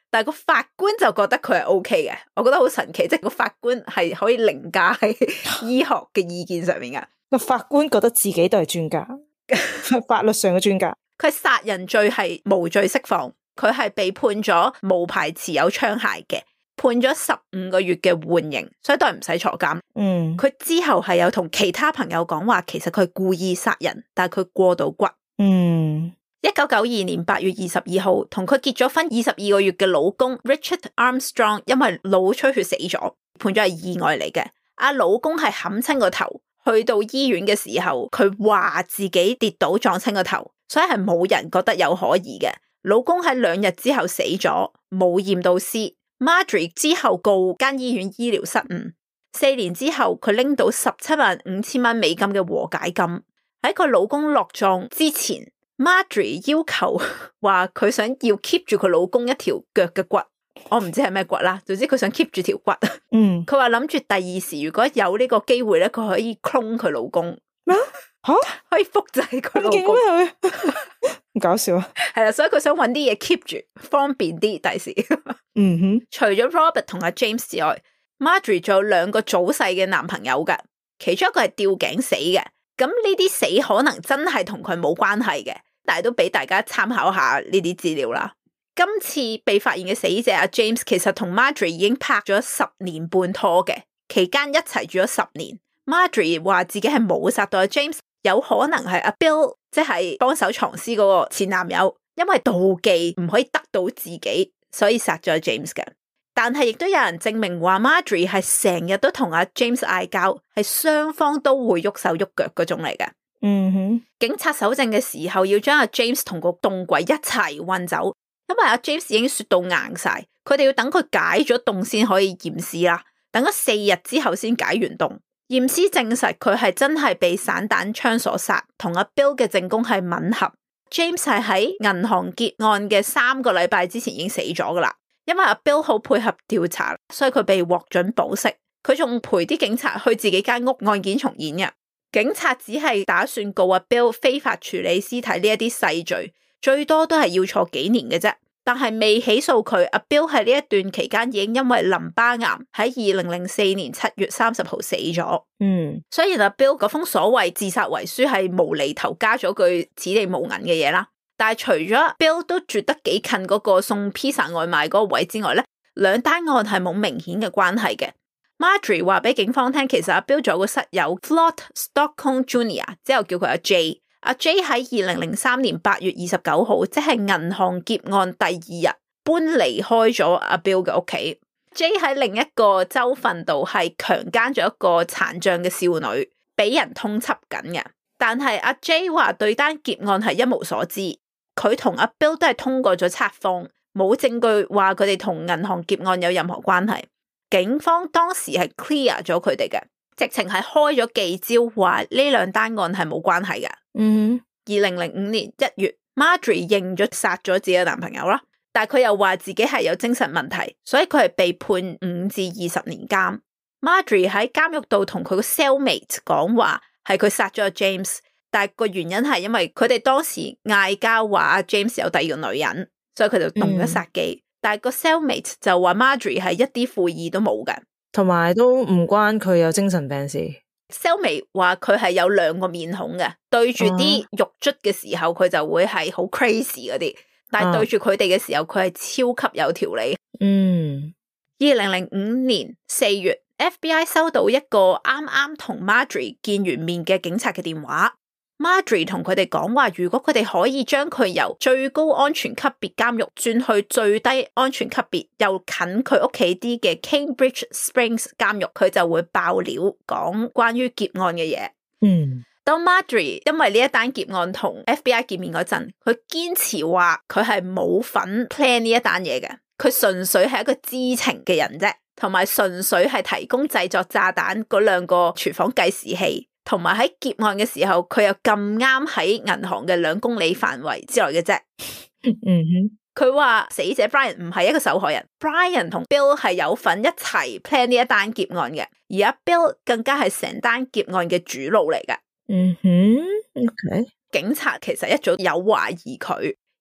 [SPEAKER 1] 但係個法官就覺得佢係 OK 嘅。我覺得好神奇，即係個法官係可以凌駕喺醫學嘅意見上面嘅。
[SPEAKER 2] 個法官覺得自己都係專家，法律上嘅專家。
[SPEAKER 1] 佢殺人罪係無罪釋放，佢係被判咗無牌持有槍械嘅，判咗15個月嘅緩刑，所以都係唔使坐監。佢之後係有同其他朋友講話，其實佢係故意殺人，但係佢過到骨。1992年8月22號，同佢結咗婚22個月嘅老公 Richard Armstrong 因為腦出血死咗，判咗係意外嚟嘅。老公係冚親個頭，去到醫院嘅時候，佢話自己跌倒撞親個頭，所以係冇人覺得有可疑嘅。老公喺2日之後死咗，冇驗到屍。Marjorie 之後告間醫院醫療失誤，4年之後佢拎到175000蚊美金嘅和解金。喺佢老公落葬之前 ，Marjorie 要求話佢想要 keep 住佢老公一條腳嘅骨，我唔知係咩骨啦，總之佢想 keep 住條骨。佢話諗住第二時如果有呢個機會咧，佢可以 clone 佢老公。
[SPEAKER 2] 咩？吓？
[SPEAKER 1] 可以複製佢老公？
[SPEAKER 2] 咁搞笑啊！
[SPEAKER 1] 係啦，所以佢想搵啲嘢 keep 住，方便啲第時。除咗 Robert 同阿 James 之外 ，Marjorie 仲有2個早逝嘅男朋友噶，其中一個係吊頸死嘅。咁呢啲死可能真係同佢冇關係嘅，但係都俾大家參考下呢啲資料啦。今次被發現嘅死者阿 James 其實同 Marjorie 已經拍咗10年半拖嘅，期間一齊住咗10年。Marjorie 話自己係冇殺到阿 James， 有可能係阿 Bill 即係幫手藏屍嗰個前男友，因為妒忌唔可以得到自己，所以殺咗阿 James 嘅。但係亦都有人證明話 Marjorie 係成日都同阿 James 嗌交，係雙方都會喐手喐腳嗰種嚟嘅。警察搜證嘅時候要將阿 James 同個凍櫃一齊運走，因為阿 James 已經雪到硬晒，佢哋要等佢解咗凍先可以驗屍啦。等咗4日之後先解完凍，驗屍證實佢係真係被散彈槍所殺，同阿 Bill 嘅證供係吻合。James 係喺銀行劫案嘅3個禮拜之前已經死咗噶啦。因為阿 Bill 好配合調查，所以佢被獲准保釋。佢仲陪啲警察去自己間屋案件重演嘅。警察只係打算告阿 Bill 非法處理屍體呢一啲細罪，最多都係要坐幾年嘅啫。但係未起訴佢。阿 Bill 喺呢一段期間已經因為淋巴癌喺2004年7月30號死咗。雖然阿 Bill 嗰封所謂自殺遺書係無厘頭加咗句此地無銀嘅嘢啦。但係除咗 Bill 都住得幾近嗰個送披薩外賣嗰個位之外咧，2單案係冇明顯嘅關係嘅。Marjorie 話俾警方聽，其實阿 Bill 仲有個室友 Floyd Stockton Jr. 之後叫佢阿 J。阿 J 喺2003年8月29號，即係銀行劫案第2日搬離開咗阿 Bill 嘅屋企。J 喺另一個州份度係強姦咗一個殘障嘅少女，俾人通緝緊嘅。但係阿 J 話對單劫案係一無所知。佢同阿 Bill 都係通過咗測謊，冇證據話佢哋同銀行劫案有任何關係。警方當時係 clear 咗佢哋嘅，直情係開咗記招，話呢2單案係冇關係嘅。2005年1月 ，Marjorie 認咗殺咗自己嘅男朋友啦，但係佢又話自己係有精神問題，所以佢係被判5至20年監。Marjorie 喺監獄度同佢個 cellmate 講話，係佢殺咗阿 James。但係個原因係因為佢哋當時嗌交，話阿 James 有第2個女人，所以佢就動咗殺機。但係個 cellmate 就話 Marjorie 係一啲悔意都冇嘅，
[SPEAKER 2] 同埋都唔關佢有精神病事。
[SPEAKER 1] cellmate 話佢係有2個面孔嘅，對住啲獄卒嘅時候佢就會係好 crazy 嗰啲，但係對住佢哋嘅時候佢係超級有條理。2005年4月 ，FBI 收到一個啱啱同 Marjorie 見完面嘅警察嘅電話。Marjorie 同佢哋講話，如果佢哋可以將佢由最高安全級別監獄轉去最低安全級別又近佢屋企啲嘅 Cambridge Springs 監獄，佢就會爆料講關於劫案嘅嘢。當 Marjorie 因為呢一單劫案同 FBI 見面嗰陣，佢堅持話佢係冇份 plan 呢一單嘢嘅，佢純粹係一個知情嘅人啫，同埋純粹係提供製作炸彈嗰兩個廚房計時器，同埋喺劫案嘅時候佢又咁啱喺銀行嘅2公里範圍之內嘅啫。佢話死者 Brian 唔係一個受害人， Brian 同 Bill 係有份一齊 plan 呢一單劫案嘅，而阿 Bill 更加係成單劫案嘅主腦嚟嘅。
[SPEAKER 2] OK。
[SPEAKER 1] 警察其實一早有懷疑佢，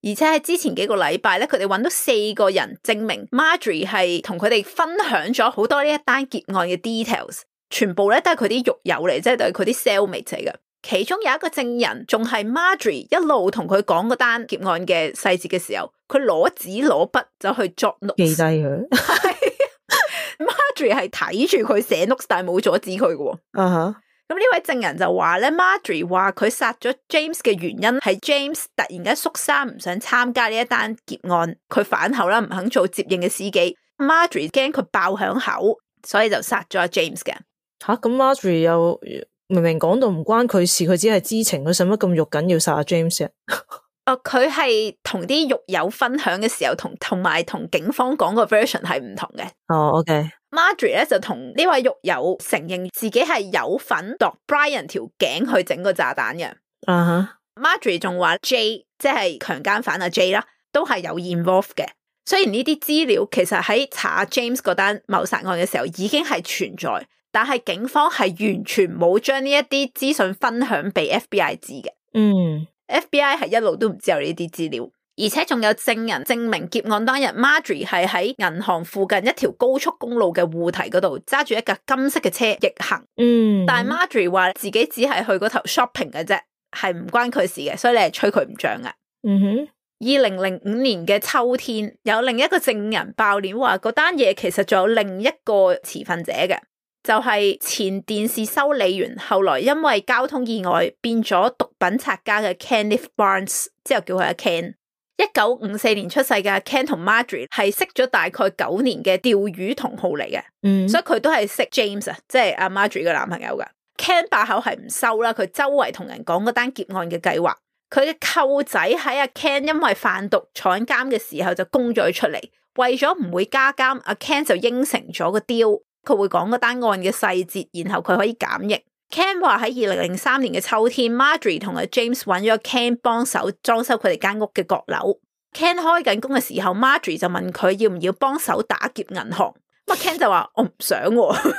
[SPEAKER 1] 而且喺之前幾個禮拜咧，佢哋揾到4個人證明 Marjorie 係同佢哋分享咗好多呢一單劫案嘅 details， 全部咧都係佢啲獄友嚟，即係都係佢啲 cellmate 嚟嘅。其中有一個證人仲係 Marjorie 一路同佢講嗰單劫案嘅細節嘅時候，佢攞紙攞筆走去作 notes
[SPEAKER 2] 記低佢。
[SPEAKER 1] Marjorie 係睇住佢寫 notes， 但係冇阻止佢嘅。咁呢位證人就話咧 ，Marjorie 話佢殺咗 James 嘅原因係 James 突然間縮沙唔想參加呢一單劫案，佢反口啦，唔肯做接應嘅司機。Marjorie 驚佢爆響口，所以就殺咗阿 James 嘅。
[SPEAKER 2] 咁 Marjorie 又明明講到唔關佢事，佢只係知情，佢使乜咁肉緊要殺阿 James 啊？
[SPEAKER 1] 佢係同啲獄友分享嘅時候，同埋同警方講個 version 係唔同嘅。OK。Marjorie 咧就同呢位獄友承認自己係有份度 Brian 條頸去整個炸彈嘅。Marjorie 仲話 J 即係強姦犯阿 J 啦，都係有 involve 嘅。雖然呢啲資料其實喺查 James 嗰單謀殺案嘅時候已經係存在，但係警方係完全冇將呢一啲資訊分享俾 FBI 知嘅。FBI 係一路都唔知有呢啲資料。而且仲有證人證明劫案當日 Marjorie 係喺銀行附近一條高速公路嘅護堤嗰度揸住一架金色嘅車逆行。但係 Marjorie 話自己只係去嗰頭 shopping 嘅啫，係唔關佢事嘅，所以你係吹佢唔脹嘅。2005年嘅秋天，有另一個證人爆料話嗰單嘢其實仲有另一個持份者嘅，就係前電視修理員，後來因為交通意外變咗毒品拆家嘅 Kenneth Barnes， 之後叫佢阿 Ken。1954年出世嘅 Ken 同 Marjorie 係識咗大概9年嘅釣魚同好嚟嘅，所以佢都係識 James 啊，即係阿 Marjorie 嘅男朋友噶。Ken 把口係唔收啦，佢周圍同人講嗰單劫案嘅計劃。佢嘅舅仔喺阿 Ken 因為販毒坐監嘅時候就供咗佢出嚟，為咗唔會加監，阿 Ken 就應承咗個 deal，佢會講嗰單案嘅細節，然後佢可以減刑。Ken 話喺2003年嘅秋天 ，Marjorie 同阿 James 揾咗 Ken 幫手裝修佢哋間屋嘅閣樓。Ken 開緊工嘅時候 ，Marjorie 就問佢要唔要幫手打劫銀行。咁 Ken 就話我唔想。咁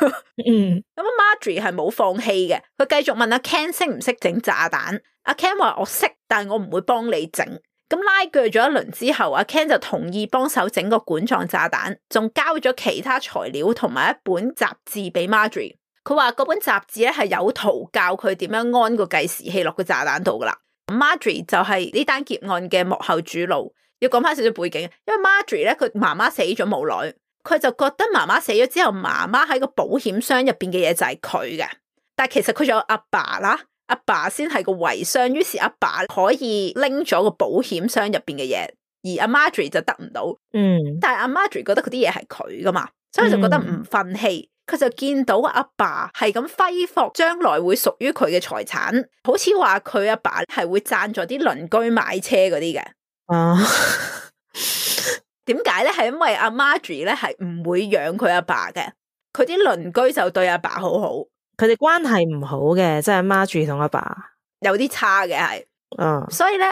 [SPEAKER 1] Marjorie 係冇放棄嘅，佢繼續問阿 Ken 識唔識整炸彈。阿 Ken 話我識，但我唔會幫你整。咁拉鋸咗一輪之後，阿 Ken 就同意幫手整個管狀炸彈，仲交咗其他材料同埋一本雜誌俾 Marjorie。佢話嗰本雜誌咧係有圖教佢點樣安個計時器落個炸彈度噶啦。Marjorie 就係呢單劫案嘅幕後主腦。要講翻少少背景，因為 Marjorie 咧佢媽媽死咗冇耐，佢就覺得媽媽死咗之後，媽媽喺個保險箱入邊嘅嘢就係佢嘅。但係其實佢仲有阿爸啦，阿爸先係個遺孀，於是阿爸可以拎咗個保險箱入邊嘅嘢，而阿 Marjorie 就得唔到。但係阿 Marjorie 覺得嗰啲嘢係佢噶嘛，所以就覺得唔忿氣。佢就見到阿爸係咁揮霍將來會屬於佢嘅財產，好似話佢阿爸係會贊助啲鄰居買車嗰啲嘅。點解咧？係因為阿 Marjorie 咧係唔會養佢阿爸嘅，佢啲鄰居就對阿爸好好，
[SPEAKER 2] 佢哋關係唔好嘅，即係 Marjorie 同阿爸
[SPEAKER 1] 有啲差嘅係。所以咧，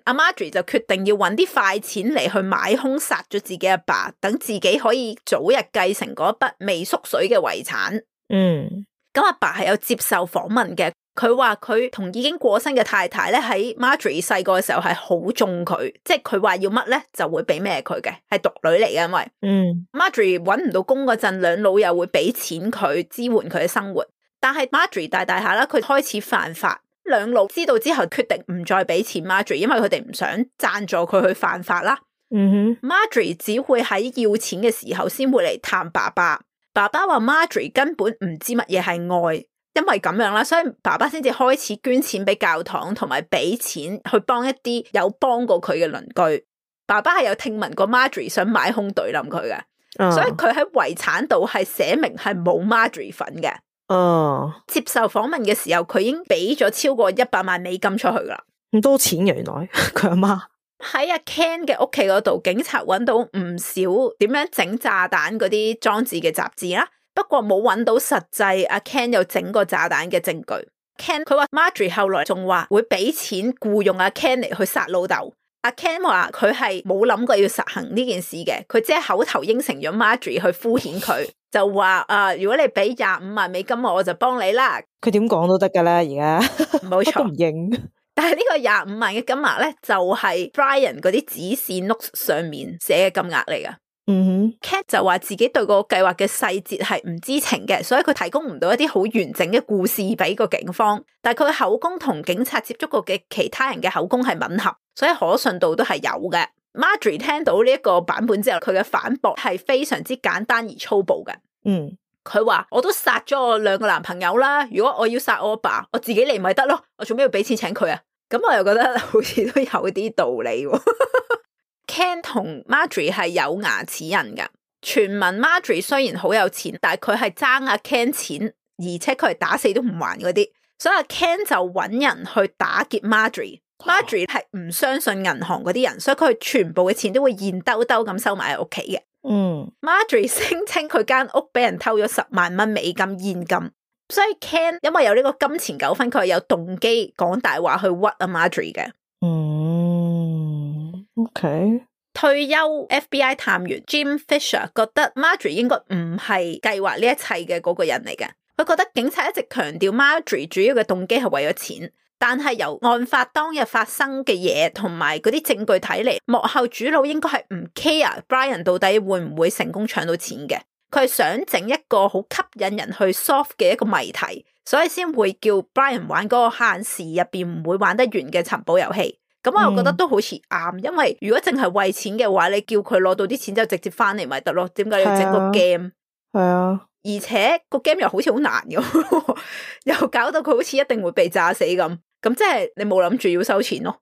[SPEAKER 1] 阿 Marjorie 就決定要搵啲快錢嚟去買兇殺咗自己阿爸，等自己可以早日繼承嗰筆未縮水嘅遺產。咁阿爸係有接受訪問嘅，佢話佢同已經過身嘅太太咧喺 Marjorie 細個嘅時候係好縱佢，即係佢話要乜咧就會俾咩佢嘅，係獨女嚟嘅。因為Marjorie 搵唔到工嗰陣，兩老又會俾錢佢支援佢嘅生活，但係 Marjorie 大大下啦，佢開始犯法。兩老知道之後決定唔再俾錢 Marjorie， 因為佢哋唔想贊助佢去犯法啦。Marjorie 只會喺要錢嘅時候先會嚟探爸爸。爸爸話 Marjorie 根本唔知乜嘢係愛，因為咁樣啦，所以爸爸先至開始捐錢俾教堂，同埋俾錢去幫一啲有幫過佢嘅鄰居。爸爸係有聽聞過 Marjorie 想買兇懟冧佢嘅，所以佢喺遺產度係寫明係冇 Marjorie 份嘅。接受訪問嘅時候，佢已經俾咗超過100萬美金出去啦。
[SPEAKER 2] 咁多錢嘅，原來佢阿媽
[SPEAKER 1] 喺阿 Ken 嘅屋企嗰度，警察揾到唔少點樣整炸彈嗰啲裝置嘅雜誌啦，不過冇揾到實際阿 Ken 有整過炸彈嘅證據。Ken 佢話 Marjorie 後來仲話會俾錢僱用阿 Ken 嚟去殺老豆。阿 Ken 話佢係冇諗過要實行呢件事嘅，佢只係口頭應承咗 Marjorie 去敷衍佢，就話如果你俾25萬美金我就幫你啦。
[SPEAKER 2] 佢點講都得噶啦，而家
[SPEAKER 1] 冇錯，
[SPEAKER 2] 都唔認。
[SPEAKER 1] 但係呢個25萬嘅金額咧，就係 Brian 嗰啲指示 notes 上面寫嘅金額嚟噶。Ken 就話自己對個計劃嘅細節係唔知情嘅，所以佢提供唔到一啲好完整嘅故事俾個警方。但係佢嘅口供同警察接觸過嘅其他人嘅口供係吻合，所以可信度都係有嘅。Marjorie 聽到呢一個版本之後，佢嘅反駁係非常之簡單而粗暴嘅。佢話我都殺咗我2個男朋友啦，如果我要殺我阿爸，我自己嚟咪得咯，我做咩要俾錢請佢啊？咁我又覺得好似都有啲道理喎。Ken 同 Marjorie 係有牙齒印噶，傳聞 Marjorie 雖然好有錢，但係佢係爭阿 Ken 錢，而且佢係打死都唔還嗰啲，所以阿 Ken 就揾人去打劫 Marjorie。Marjorie 係唔相信銀行嗰啲人，所以佢全部嘅錢都會現兜兜咁收埋喺屋企嘅。Marjorie 聲稱佢間屋俾人偷咗10萬蚊美金現金，所以 Ken 因為有呢個金錢糾紛，佢係有動機講大話去屈阿 Marjorie 嘅。
[SPEAKER 2] OK。
[SPEAKER 1] 退休 FBI 探員 Jim Fisher 覺得 Marjorie 應該唔係計劃呢一切嘅嗰個人嚟嘅。佢覺得警察一直強調 Marjorie 主要嘅動機係為咗錢，但係由案發當日發生嘅嘢同埋嗰啲證據睇嚟，幕後主腦應該係唔 care Brian 到底會唔會成功搶到錢嘅。佢係想整一個好吸引人去 solve 嘅一個謎題，所以先會叫 Brian 玩嗰個限時入邊唔會玩得完嘅尋寶遊戲。咁我又覺得都好似啱，因為如果淨係為錢嘅話，你叫佢攞到啲錢就直接翻嚟咪得咯，點解要整個 game？ 係啊，而且個 game 又好似好難嘅，又搞到佢好似一定會被炸死咁，咁即係你冇諗住要收錢咯。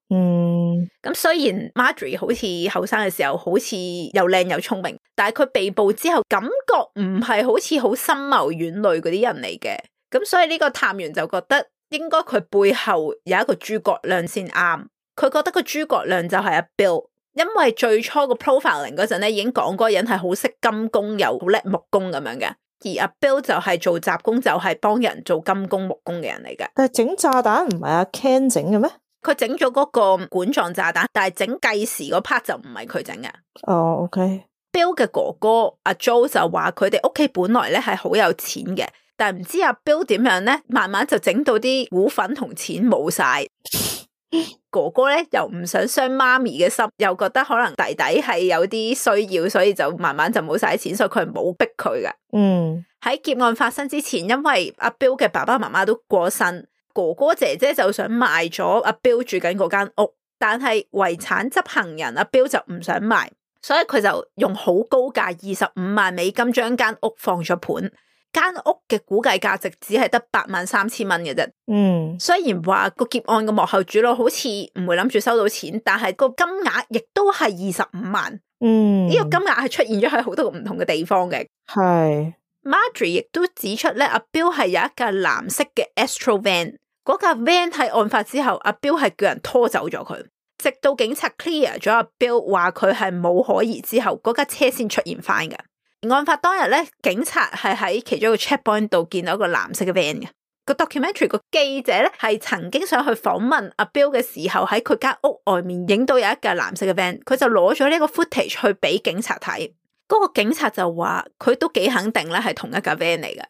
[SPEAKER 1] 咁雖然 Marjorie 好似後生嘅時候好似又靚又聰明，但係佢被捕之後感覺唔係好似好深謀遠慮嗰啲人嚟嘅，咁所以呢個探員就覺得應該佢背後有一個諸葛亮先啱。佢覺得個諸葛亮就係阿 Bill， 因為最初個 profiling 嗰陣咧已經講嗰個人係好識金工又好叻木工咁樣嘅，而阿 Bill 就係做雜工，就係幫人做金工木工嘅人嚟嘅。但係整炸彈唔係阿 Ken 整嘅咩？佢整咗嗰個管狀炸彈，但係整計時嗰 part 就唔係佢整嘅。OK。Bill 嘅哥哥阿 Joe 就話佢哋屋企本來咧係好有錢嘅，但係唔知阿 Bill 點樣咧，慢慢就整到啲股份同錢冇晒。哥哥咧又唔想傷媽咪嘅心，又覺得可能弟弟係有啲需要，所以就慢慢就冇晒錢，所以佢係冇逼佢嘅。喺劫案發生之前，因為阿 Bill 嘅爸爸媽媽都過身，哥哥姐姐就想賣咗阿 Bill 住緊嗰間屋，但係遺產執行人阿 Bill 就唔想賣，所以佢就用好高價25萬美金將間屋放咗盤。間屋嘅估計價值只係得83000蚊嘅啫。雖然話個劫案嘅幕後主腦好似唔會諗住收到錢，但係個金額亦都係25萬。呢個金額係出現咗喺好多個唔同嘅地方嘅。係 Marjorie 亦都指出咧，阿 Bill 係有一架藍色嘅 Astro Van， 嗰架 van 喺案發之後，阿 Bill 係叫人拖走咗佢，直到警察 clear 咗阿 Bill 話佢係冇可疑之後，嗰架車先出現翻嘅。案發當日咧，警察係喺其中一個 checkpoint 度見到一個藍色嘅 van 嘅。個 documentary 個記者咧係曾經想去訪問阿 Bill 嘅時候，喺佢間屋外面影到有一架藍色嘅 van， 佢就攞咗呢個 footage 去俾警察睇。嗰個警察就話佢都幾肯定咧係同一架 van 嚟嘅。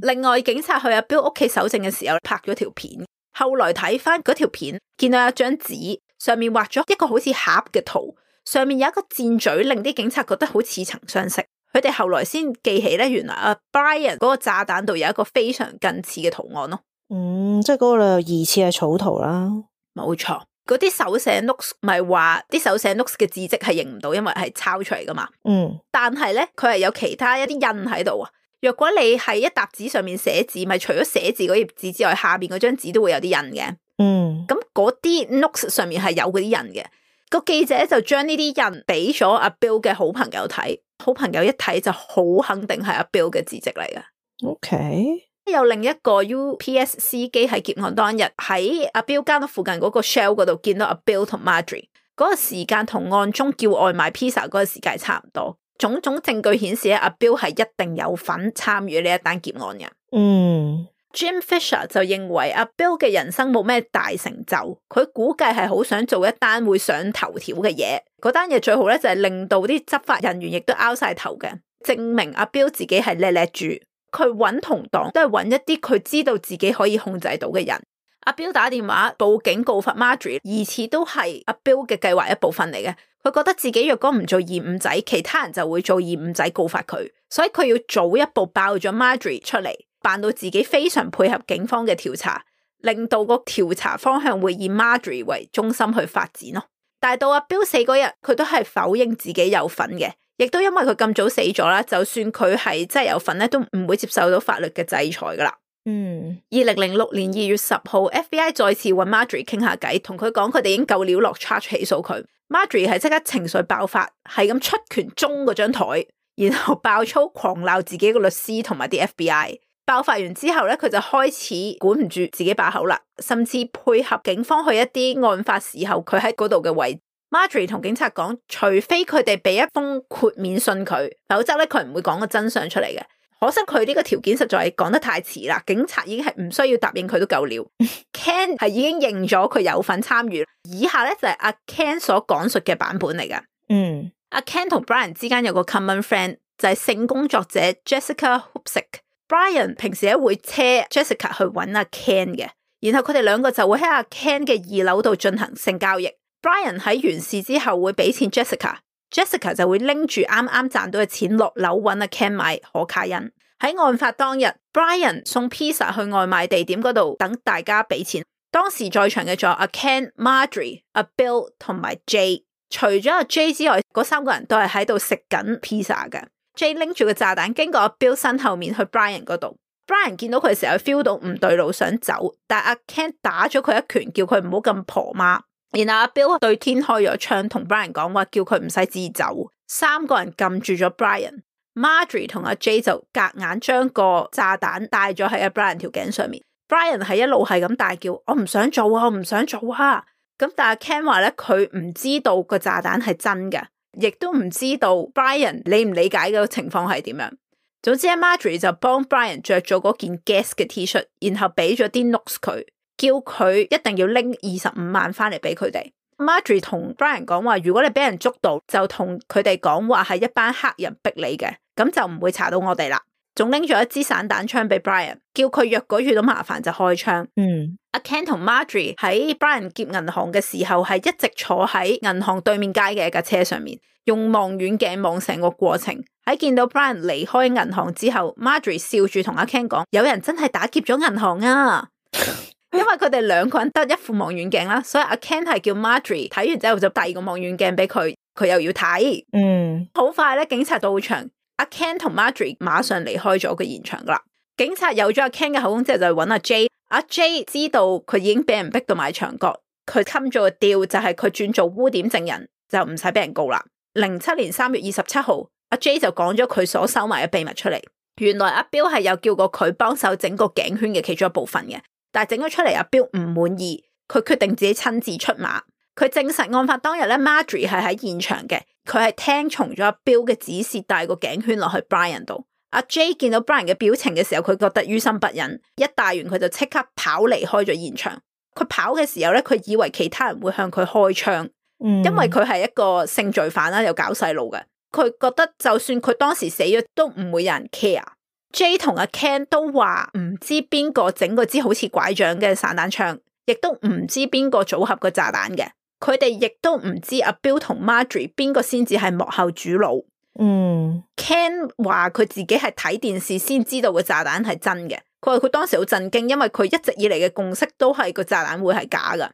[SPEAKER 1] 另外警察去阿 Bill 屋企搜證嘅時候拍咗條片，後來睇翻嗰條片，見到一張紙上面畫咗一個好似盒嘅圖，上面有一個箭嘴，令啲警察覺得好似曾相識。佢哋後來先記起咧，原來阿 Brian 嗰個炸彈度有一個非常近似嘅圖案咯。即係嗰個疑似係草圖啦。冇錯，嗰啲手寫 notes 咪話啲手寫 notes 嘅字跡係認唔到，因為係抄出嚟噶嘛。但係咧，佢係有其他一啲印喺度啊。若果你喺一沓紙上面寫字，咪除咗寫字嗰頁紙之外，下邊嗰張紙都會有啲印嘅。咁嗰啲 notes 上面係有嗰啲印嘅。個記者就將呢啲印俾咗阿 Bill 嘅好朋友睇，好朋友一睇就好肯定係阿 Bill 嘅字跡嚟嘅。
[SPEAKER 2] OK。
[SPEAKER 1] 有另一個 UPS 司機喺劫案當日喺阿 Bill 間屋附近嗰個 Shell 嗰度見到阿 Bill 同 Marjorie， 嗰個時間同案中叫外賣 pizza 嗰個時間差唔多。種種證據顯示阿 Bill 係一定有份參與呢一單劫案嘅。Jim Fisher 就認為阿 Bill 嘅人生冇咩大成就，佢估計係好想做一單會上頭條嘅嘢。嗰單嘢最好咧就係令到啲執法人員亦都拗晒頭嘅，證明阿 Bill 自己係叻叻住。佢揾同黨都係揾一啲佢知道自己可以控制到嘅人。阿 Bill 打電話報警告發 Marjorie， 疑似都係阿 Bill 嘅計劃一部分嚟嘅。佢覺得自己若果唔做二五仔，其他人就會做二五仔告發佢，所以佢要早一步爆咗 Marjorie 出嚟，扮到自己非常配合警方嘅調查，令到個調查方向會以 Marjorie 為中心去發展咯。但係到阿 Bill 死嗰日，佢都係否認自己有份嘅。亦都因為佢咁早死咗啦，就算佢係真係有份咧，都唔會接受到法律嘅制裁噶啦。2006年2月10號 FBI 再次揾 Marjorie 傾下偈，同佢講佢哋已經夠料落 charge 起訴佢。Marjorie 係即刻情緒爆發，係咁出拳中嗰張台，然後爆粗狂鬧自己個律師同埋啲 FBI。爆發完之後咧，佢就開始管唔住自己把口啦，甚至配合警方去一啲案發時候佢喺嗰度嘅位置。Marjorie 同警察講，除非佢哋俾一封豁免信佢，否則咧佢唔會講個真相出嚟嘅。可惜佢呢個條件實在係講得太遲啦，警察已經係唔需要答應佢都夠料。Ken 係已經認咗佢有份參與，以下咧就係阿 Ken 所講述嘅版本嚟㗎。阿 Ken 同 Brian 之間有個 common friend 就係性工作者 Jessica Hoopsick。Brian 平時咧會車 Jessica 去揾阿 Ken 嘅，然後佢哋兩個就會喺阿 Ken 嘅2樓度進行性交易。Brian 喺完事之後會俾錢 Jessica 就會拎住啱啱賺到嘅錢落樓揾阿 Ken 買可卡因。喺案發當日 Brian 送 pizza 去外賣地點嗰度等大家俾錢。當時在場嘅仲有阿 Ken、Marjorie、阿 Bill 同埋 Jay。除咗阿 Jay 之外，嗰3個人都係喺度食緊 pizza 嘅。Jay 拎住個炸彈經過阿 Bill 身後面去 Brian 嗰度。Brian 見到佢嘅時候 feel 到唔對路想走，但阿 Ken 打咗佢一拳，叫佢唔好咁婆媽。然後阿 Bill 對天開咗槍，同 Brian 講話，叫佢唔使自走。3個人撳住咗 Brian。Marjorie 同阿 Jay 就夾硬將個炸彈帶咗喺阿 Brian 條頸上面。Brian 係一路係咁大叫，我唔想做啊，我唔想做啊。咁但係 Ken 話咧，佢唔知道個炸彈係真嘅，亦都唔知道 Brian 理唔理解嘅情況係點樣。總之 Marjorie 就幫 Brian 着咗嗰件 gas 嘅 T-shirt， 然後俾咗啲 notes 佢。叫佢一定要拎25萬翻嚟俾佢哋。Marjorie 同 Brian 講話，如果你俾人捉到，就同佢哋講話係一班黑人逼你嘅，咁就唔會查到我哋啦。仲拎咗一支散彈槍俾 Brian， 叫佢若果遇到麻煩就開槍。阿 Ken 同 Marjorie 喺 Brian 劫銀行嘅時候係一直坐喺銀行對面街嘅一架車上面，用望遠鏡望成個過程。喺見到 Brian 離開銀行之後， Marjorie 笑住同阿 Ken 講，有人真係打劫咗銀行啊。因為佢哋2個人得一副望遠鏡啦，所以阿 Ken 係叫 Marjorie 睇完之後就第2個望遠鏡俾佢，佢又要睇。好快咧，警察到場，阿 Ken 同 Marjorie 馬上離開咗個現場噶啦。警察有咗阿 Ken 嘅口供之後就揾阿 Jay。阿 Jay 知道佢已經俾人逼到埋牆角，佢冚咗個 deal 就係佢轉做污點證人，就唔使俾人告啦。07年3月27號，阿 Jay 就講咗佢所收埋嘅秘密出嚟。原來阿 Bill 係有叫過佢幫手整個頸圈嘅其中一部分嘅。但係整咗出嚟，阿 Bill 唔滿意，佢決定自己親自出馬。佢證實案發當日咧 ，Marjorie 係喺現場嘅，佢係聽從咗阿 Bill 嘅指示，帶個頸圈落去 Brian 度。阿 Jay 見到 Brian 嘅表情嘅時候，佢覺得於心不忍，一帶完佢就即刻跑離開咗現場。佢跑嘅時候咧，佢以為其他人會向佢開槍，因為佢係一個性罪犯啦，又搞細路嘅。佢覺得就算佢當時死咗，都唔會有人 care。Jay 同阿 Ken 都話唔知邊個整嗰支好似拐杖嘅散彈槍，亦都唔知邊個組合個炸彈嘅。佢哋亦都唔知阿 Bill 同 Marjorie 邊個先至係幕後主腦。Ken 話佢自己係睇電視先知道個炸彈係真嘅。佢話佢當時好震驚，因為佢一直以嚟嘅共識都係個炸彈會係假噶。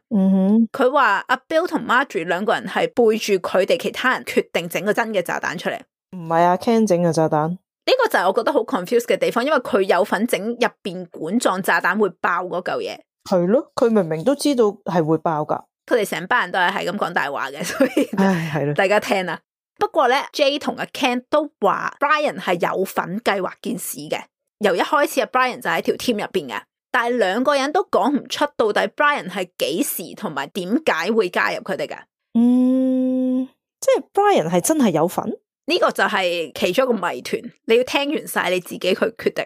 [SPEAKER 1] 佢話阿 Bill 同 Marjorie 2個人係背住佢哋其他人決定整個真嘅炸彈出嚟。
[SPEAKER 2] 唔係阿 Ken 整嘅炸彈。
[SPEAKER 1] 呢個就係我覺得好 confused 嘅地方，因為佢有份整入邊管狀炸彈會爆嗰嚿嘢。
[SPEAKER 2] 係咯，佢明明都知道係會爆噶。
[SPEAKER 1] 佢哋成班人都係咁講大話嘅，所以
[SPEAKER 2] 係咯，
[SPEAKER 1] 大家聽啦。不過咧 ，Jay 同阿 Ken 都話 Brian 係有份計劃件事嘅。由一開始阿 Brian 就喺條 team 入邊嘅，但係兩個人都講唔出到底 Brian 係幾時同埋點解會加入佢哋嘅。
[SPEAKER 2] 即係 Brian 係真係有份？
[SPEAKER 1] 呢個就係其中一個謎團，你要聽完晒你自己去決定。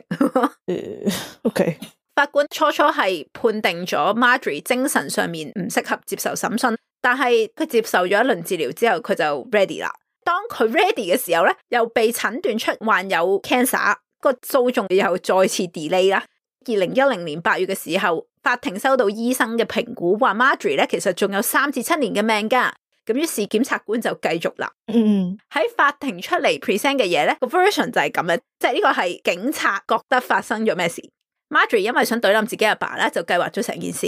[SPEAKER 2] OK。
[SPEAKER 1] 法官初初係判定咗 Marjorie 精神上面唔適合接受審訊，但係佢接受咗一輪治療之後，佢就 ready 啦。當佢 ready 嘅時候咧，又被診斷出患有 cancer， 個訴訟又再次 delay 啦。2010年8月嘅時候，法庭收到醫生嘅評估，話 Marjorie 咧其實仲有3至7年嘅命噶。咁於是檢察官就繼續啦。喺法庭出嚟 present 嘅嘢咧，個 version 就係咁嘅，即係呢個係警察覺得發生咗咩事。Marjorie 因為想懟冧自己阿爸咧，就計劃咗成件事，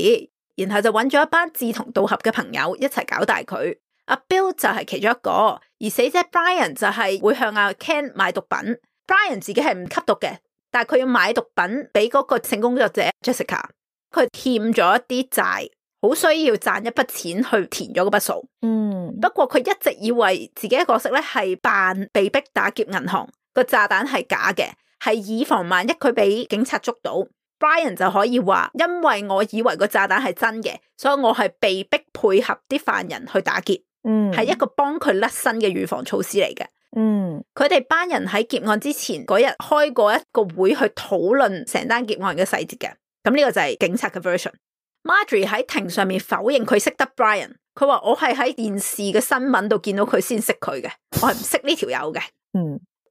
[SPEAKER 1] 然後就揾咗一班志同道合嘅朋友一齊搞大佢。阿 Bill 就係其中一個，而死者 Brian 就係會向阿 Ken 買毒品。Brian 自己係唔吸毒嘅，但係佢要買毒品俾嗰個性工作者 Jessica， 佢欠咗一啲債，好需要賺一筆錢去填咗嗰筆數。不過佢一直以為自己嘅角色咧係扮被逼打劫銀行，個炸彈係假嘅，係以防萬一佢俾警察捉到。Brian 就可以話，因為我以為個炸彈係真嘅，所以我係被逼配合啲犯人去打劫，係一個幫佢甩身嘅預防措施嚟嘅。佢哋班人喺劫案之前嗰日開過一個會去討論成單劫案嘅細節嘅。咁呢個就係警察嘅 version。Marjorie 喺庭上面否認佢識得 Brian， 佢話我係喺電視嘅新聞度見到佢先識佢嘅，我係唔識呢條友嘅。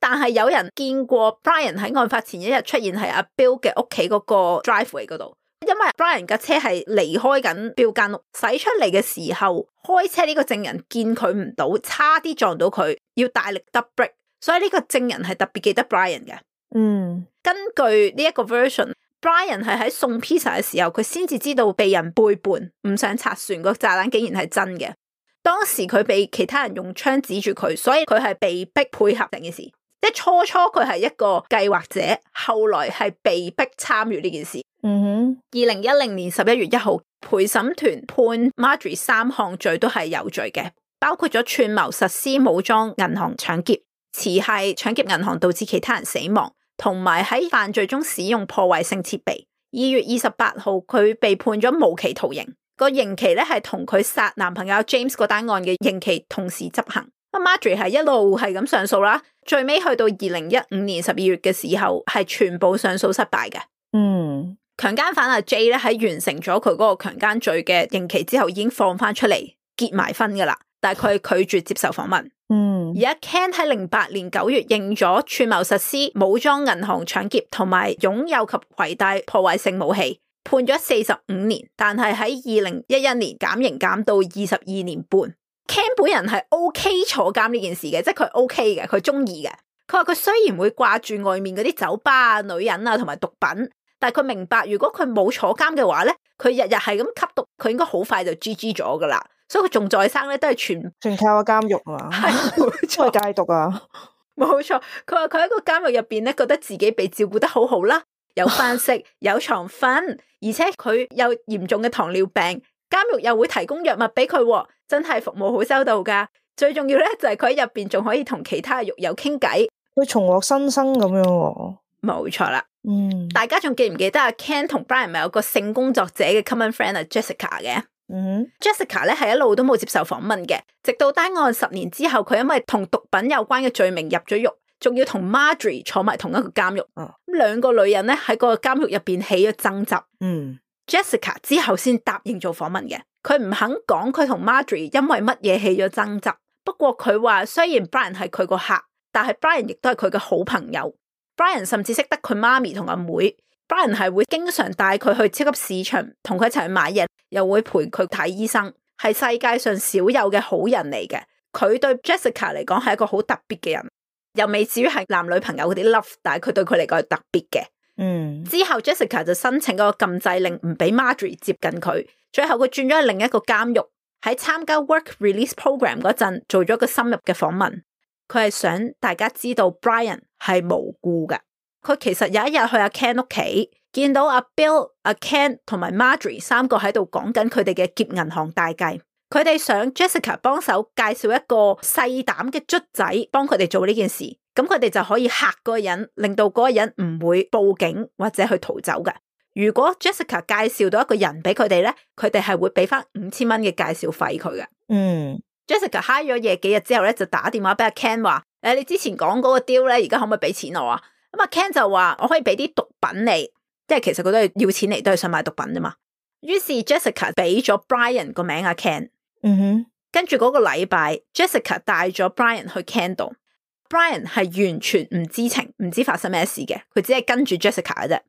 [SPEAKER 1] 但係有人見過 Brian 喺案發前一日出現喺阿 Bill 嘅屋企嗰個 driveway 嗰度，因為 Brian 架車係離開緊 Bill 間屋，駛出嚟嘅時候，開車呢個證人見佢唔到，差啲撞到佢，要大力揼 brake， 所以呢個證人係特別記得 Brian 嘅。根據呢一個 version，Brian 係喺送 pizza 嘅時候，佢先至知道被人背叛，唔想拆船，個炸彈竟然係真嘅。當時佢被其他人用槍指住佢，所以佢係被逼配合成件事。即係初初佢係一個計劃者，後來係被逼參與呢件事。2010年11月1號，陪審團判 Marjorie 3項罪都係有罪嘅，包括咗串謀實施武裝銀行搶劫、持械搶劫銀行導致其他人死亡，同埋喺犯罪中使用破壞性設備。2月28號，佢被判咗無期徒刑，個刑期咧係同佢殺男朋友 James 嗰單案嘅刑期同時執行。Marjorie 係一路係咁上訴啦，最尾去到2015年12月嘅時候，係全部上訴失敗嘅。強姦犯阿 Jay 咧喺完成咗佢嗰個強姦罪嘅刑期之後，已經放翻出嚟結埋婚噶啦，但係佢拒絕接受訪問。而阿 Ken 喺08年9月認咗串謀實施武裝銀行搶劫同埋擁有及攜帶破壞性武器，判咗45年，但係喺2011年減刑減到22年半。Ken 本人係 OK 坐監呢件事嘅，即係佢 OK 嘅，佢中意嘅。佢話佢雖然會掛住外面嗰啲酒吧啊、女人啊同埋毒品，但係佢明白如果佢冇坐監嘅話咧，佢日日係咁吸毒，佢應該好快就 GG 咗噶啦。所以佢仲在生咧，都係全靠個監獄啊嘛，係戒毒啊，冇錯。佢話佢喺個監獄入邊咧，覺得自己被照顧得好好啦，有飯食，有床瞓，而且佢有嚴重嘅糖尿病，監獄又會提供藥物俾佢，真係服務好周到噶。最重要咧就係佢喺入邊仲可以同其他獄友傾偈，佢重獲新生咁樣。冇錯啦。大家仲記唔記得阿 Ken 同 Brian 咪有個性工作者嘅 common friend 啊 Jessica 嘅？Jessica 咧係一路都冇接受訪問嘅，直到單案10年之後，佢因為同毒品有關嘅罪名入咗獄，仲要同 Marjorie 坐埋同一個監獄。兩個女人咧喺個監獄入邊起咗爭執。Jessica 之後先答應做訪問嘅，佢唔肯講佢同 Marjorie 因為乜嘢起咗爭執。不過佢話雖然 Brian 係佢個客，但係 Brian 亦都係佢嘅好朋友。Brian 甚至識得佢媽咪同阿妹。Brian 係會經常帶佢去超級市場，同佢一齊去買嘢，又會陪佢睇醫生，係世界上少有嘅好人嚟嘅。佢對 Jessica 嚟講係一個好特別嘅人，又未至於係男女朋友嗰啲 love， 但係佢對佢嚟講係特別嘅。之後 Jessica 就申請嗰個禁制令，唔俾 Marjorie 接近佢。最後佢轉咗去另一個監獄，喺參加 Work Release Program 嗰陣做咗個深入嘅訪問。佢係想大家知道 Brian 係無辜嘅。佢其實有一日去阿 Ken 屋企，見到阿 Bill、阿 Ken 同埋 Marjorie 三個喺度講緊佢哋嘅劫銀行大計。佢哋想 Jessica 幫手介紹一個細膽嘅卒仔幫佢哋做呢件事，咁佢哋就可以嚇嗰個人，令到嗰個人唔會報警或者去逃走嘅。如果 Jessica 介紹到一個人俾佢哋咧，佢哋係會俾翻5000蚊嘅介紹費佢嘅。Jessica 嗨咗夜幾日之後咧，就打電話俾阿 Ken 話：你之前講嗰個 deal 咧，而家可唔可以俾錢我啊？咁阿 Ken 就話：我可以俾啲毒品你，即係其實佢都係要錢嚟，都係想買毒品啫嘛。於是 Jessica 俾咗 Brian 個名阿 Ken。跟住嗰個禮拜 Jessica 帶咗 Brian 去 Ken 度。Brian 係完全唔知情，唔知發生咩事嘅，佢只係跟住 Jessica 嘅啫。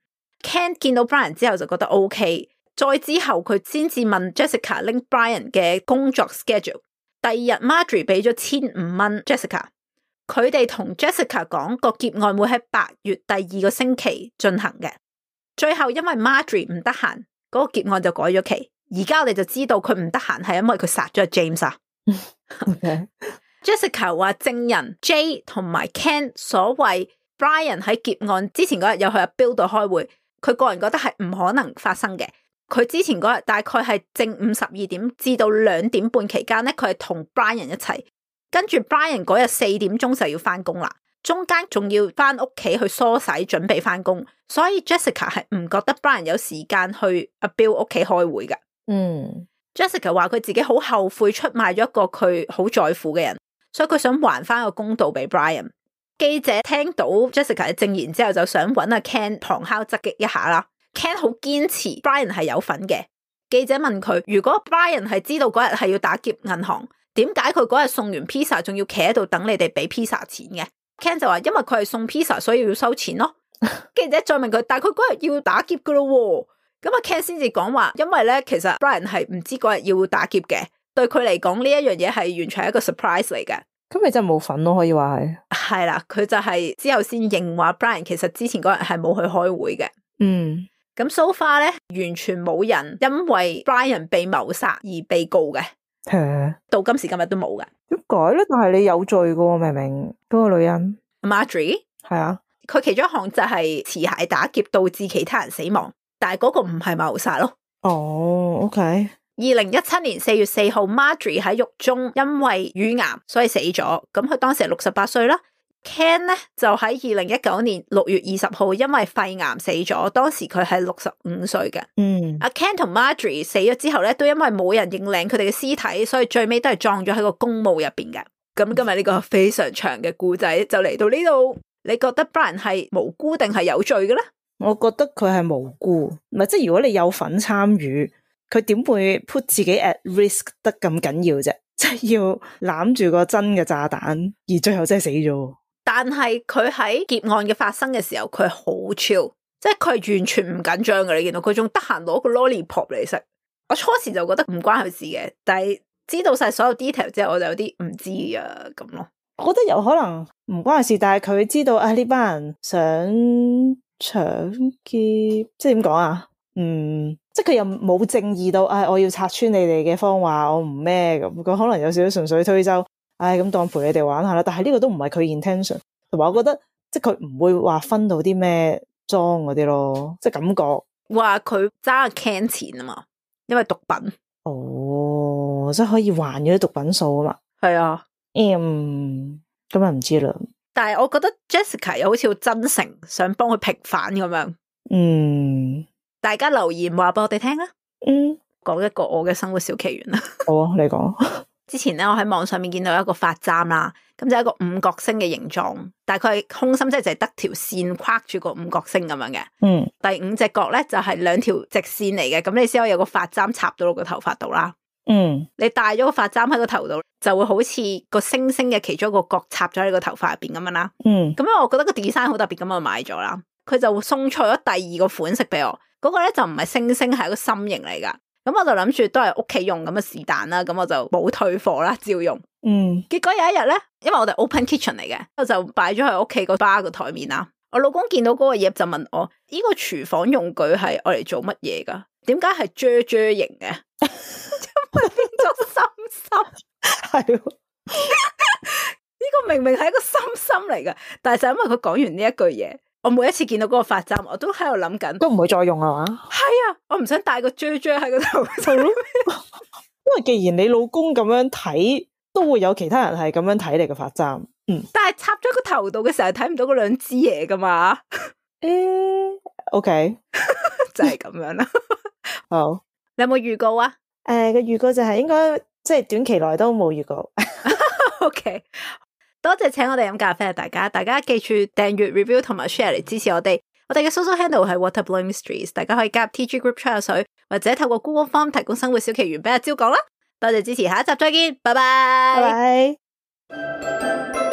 [SPEAKER 1] Ken 見到 Brian 之後就覺得 OK， 再之後佢先至問 Jessica 拎 Brian 嘅工作 schedule。第二日 Marjorie 俾咗1500蚊 Jessica， 佢哋同 Jessica 講個劫案會喺8月第2個星期進行嘅。最後因為 Marjorie 唔得閒，嗰個劫案就改咗期。而家我哋就知道佢唔得閒係因為佢殺咗 James 啊。
[SPEAKER 2] Okay.
[SPEAKER 1] Jessica 話證人 Jay 同埋 Ken 所謂 Brian 喺劫案之前嗰日有去阿 Bill 度開會，佢個人覺得係唔可能發生嘅。佢之前嗰日大概係正午12點至到2點半期間咧，佢係同 Brian 一齊，跟住 Brian 嗰日4點鐘就要翻工啦，中間仲要翻屋企去梳洗準備翻工，所以 Jessica 係唔覺得 Brian 有時間去阿 Bill 屋企開會嘅。Jessica 話佢自己好後悔出賣咗一個佢好在乎嘅人，所以佢想還翻個公道俾 Brian。記者聽到 Jessica 嘅證言之後，就想揾阿 Ken 旁敲側擊一下啦。Ken 好堅持 Brian 係有份嘅。記者問佢，如果 Brian 係知道嗰日係要打劫銀行，點解佢嗰日送完 pizza 仲要企喺度等你哋俾 pizza 錢嘅？ Ken 就話因為佢係送 pizza 所以要收錢咯。記者再問佢，但係佢嗰日要打劫噶咯喎。咁阿 Ken 先至講話，因為咧其實 Brian 係唔知嗰日要打劫嘅，對佢嚟講呢一樣嘢係完全係一個 surprise 嚟嘅。
[SPEAKER 2] 咁咪真係冇份咯，可以話係。
[SPEAKER 1] 係啦，佢就係之後先認話 Brian 其實之前嗰日係冇去開會嘅。咁 so far 咧，完全冇人因為 Brian 被謀殺而被告嘅。到今時今日都冇嘅。
[SPEAKER 2] 點解咧？但係你有罪嘅喎，明明嗰個女人
[SPEAKER 1] Marjorie
[SPEAKER 2] 係啊，
[SPEAKER 1] 佢其中一項就係持械打劫導致其他人死亡。但係嗰個唔係謀殺咯。
[SPEAKER 2] OK。
[SPEAKER 1] 2017年4月4號 Marjorie 喺獄中因為乳癌所以死咗，咁佢當時係68歲啦。Ken 咧就喺2019年6月20號因為肺癌死咗，當時佢係65歲嘅。阿 Ken 同 Marjorie 死咗之後咧，都因為冇人認領佢哋嘅屍體，所以最尾都係葬咗喺個公墓入邊嘅。咁今日呢個非常長嘅故仔就嚟到呢度，你覺得 Brian 係無辜定係有罪嘅咧？
[SPEAKER 2] 我覺得佢係無辜，唔係即係如果你有份參與，佢點會 put 自己 at risk 得咁緊要啫？即係要攬住個真嘅炸彈，而最後真係死咗。但
[SPEAKER 1] 係佢喺劫案嘅發生嘅時候，佢好 chill，即係佢係完全唔緊張嘅。你見到佢仲得閒攞個 lollipop 嚟食。我初時就覺得唔關佢事嘅，但係知道晒所有 detail 之後，我就有啲唔知啊咁咯。
[SPEAKER 2] 我覺得有可能唔關佢事，但係佢知道啊呢班人想搶劫，即係點講啊？即係佢又冇正義到，我要拆穿你哋嘅謊話，我唔咩咁。佢可能有少少純粹推舟，咁當陪你哋玩下啦。但係呢個都唔係佢 intention， 同埋我覺得即係佢唔會話分到啲咩贓嗰啲咯，即係感覺
[SPEAKER 1] 話佢揸 Ken 錢啊嘛，因為毒品。
[SPEAKER 2] 即係可以還咗啲毒品數啊嘛。
[SPEAKER 1] 係啊，
[SPEAKER 2] 咁啊唔知啦。但
[SPEAKER 1] 係我覺得 Jessica 又好似好真誠，想幫佢平反咁樣。大家留言話俾我哋聽啊。講一個我嘅生活小奇緣啦。好啊，你講。之前咧，我喺網上面見到一個髮簪啦，咁就係一個五角星嘅形狀，大概係空心，即係就係得條線框住個五角星咁樣嘅。第5隻角咧就係2條直線嚟嘅，咁你先可以有個髮簪插到落個頭髮度啦。你戴咗個髮簪喺個頭度，就會好似個星星嘅其中一個角插咗喺你個頭髮入邊咁樣啦。咁樣我覺得個 design 好特別，咁我買咗啦。佢就送錯咗第2個款式俾我，嗰個咧就唔係星星，係一個心形嚟噶。咁我就諗住都係屋企用咁嘅是但啦，咁我就冇退貨啦，照用。結果有一日咧，因為我哋 open kitchen 嚟嘅，我就擺咗喺屋企個吧個台面啦。我老公見到嗰個嘢就問我：呢個廚房用具係我嚟做乜嘢噶？點解係啫型嘅？因為變咗心心。係。呢個明明係一個心心嚟嘅，但係就因為佢講完呢一句嘢，我每一次見到嗰個髮簪，我都喺度諗緊，
[SPEAKER 2] 都唔會再用係嘛？
[SPEAKER 1] 係啊，我唔想戴個啫啫喺個頭度。
[SPEAKER 2] 因為既然你老公咁樣睇，都會有其他人係咁樣睇你嘅髮簪。
[SPEAKER 1] 但係插咗個頭度嘅時候，睇唔到嗰兩支嘢噶嘛
[SPEAKER 2] ？OK，
[SPEAKER 1] 就係咁樣啦。
[SPEAKER 2] 好，
[SPEAKER 1] 你有冇預告啊？
[SPEAKER 2] 個預告就係應該即係短期內都冇預告。
[SPEAKER 1] OK， 多謝請我哋飲咖啡啊！大家記住訂閱、review 同埋 share 嚟支持我哋。我哋嘅 social handle 係 Waterblowing Mysteries， 大家可以加入 TG group 吹下水，或者透過 Google Form 提供生活小奇懸俾阿蕉講啦。多謝支持，下一集再見，拜拜。
[SPEAKER 2] 拜拜。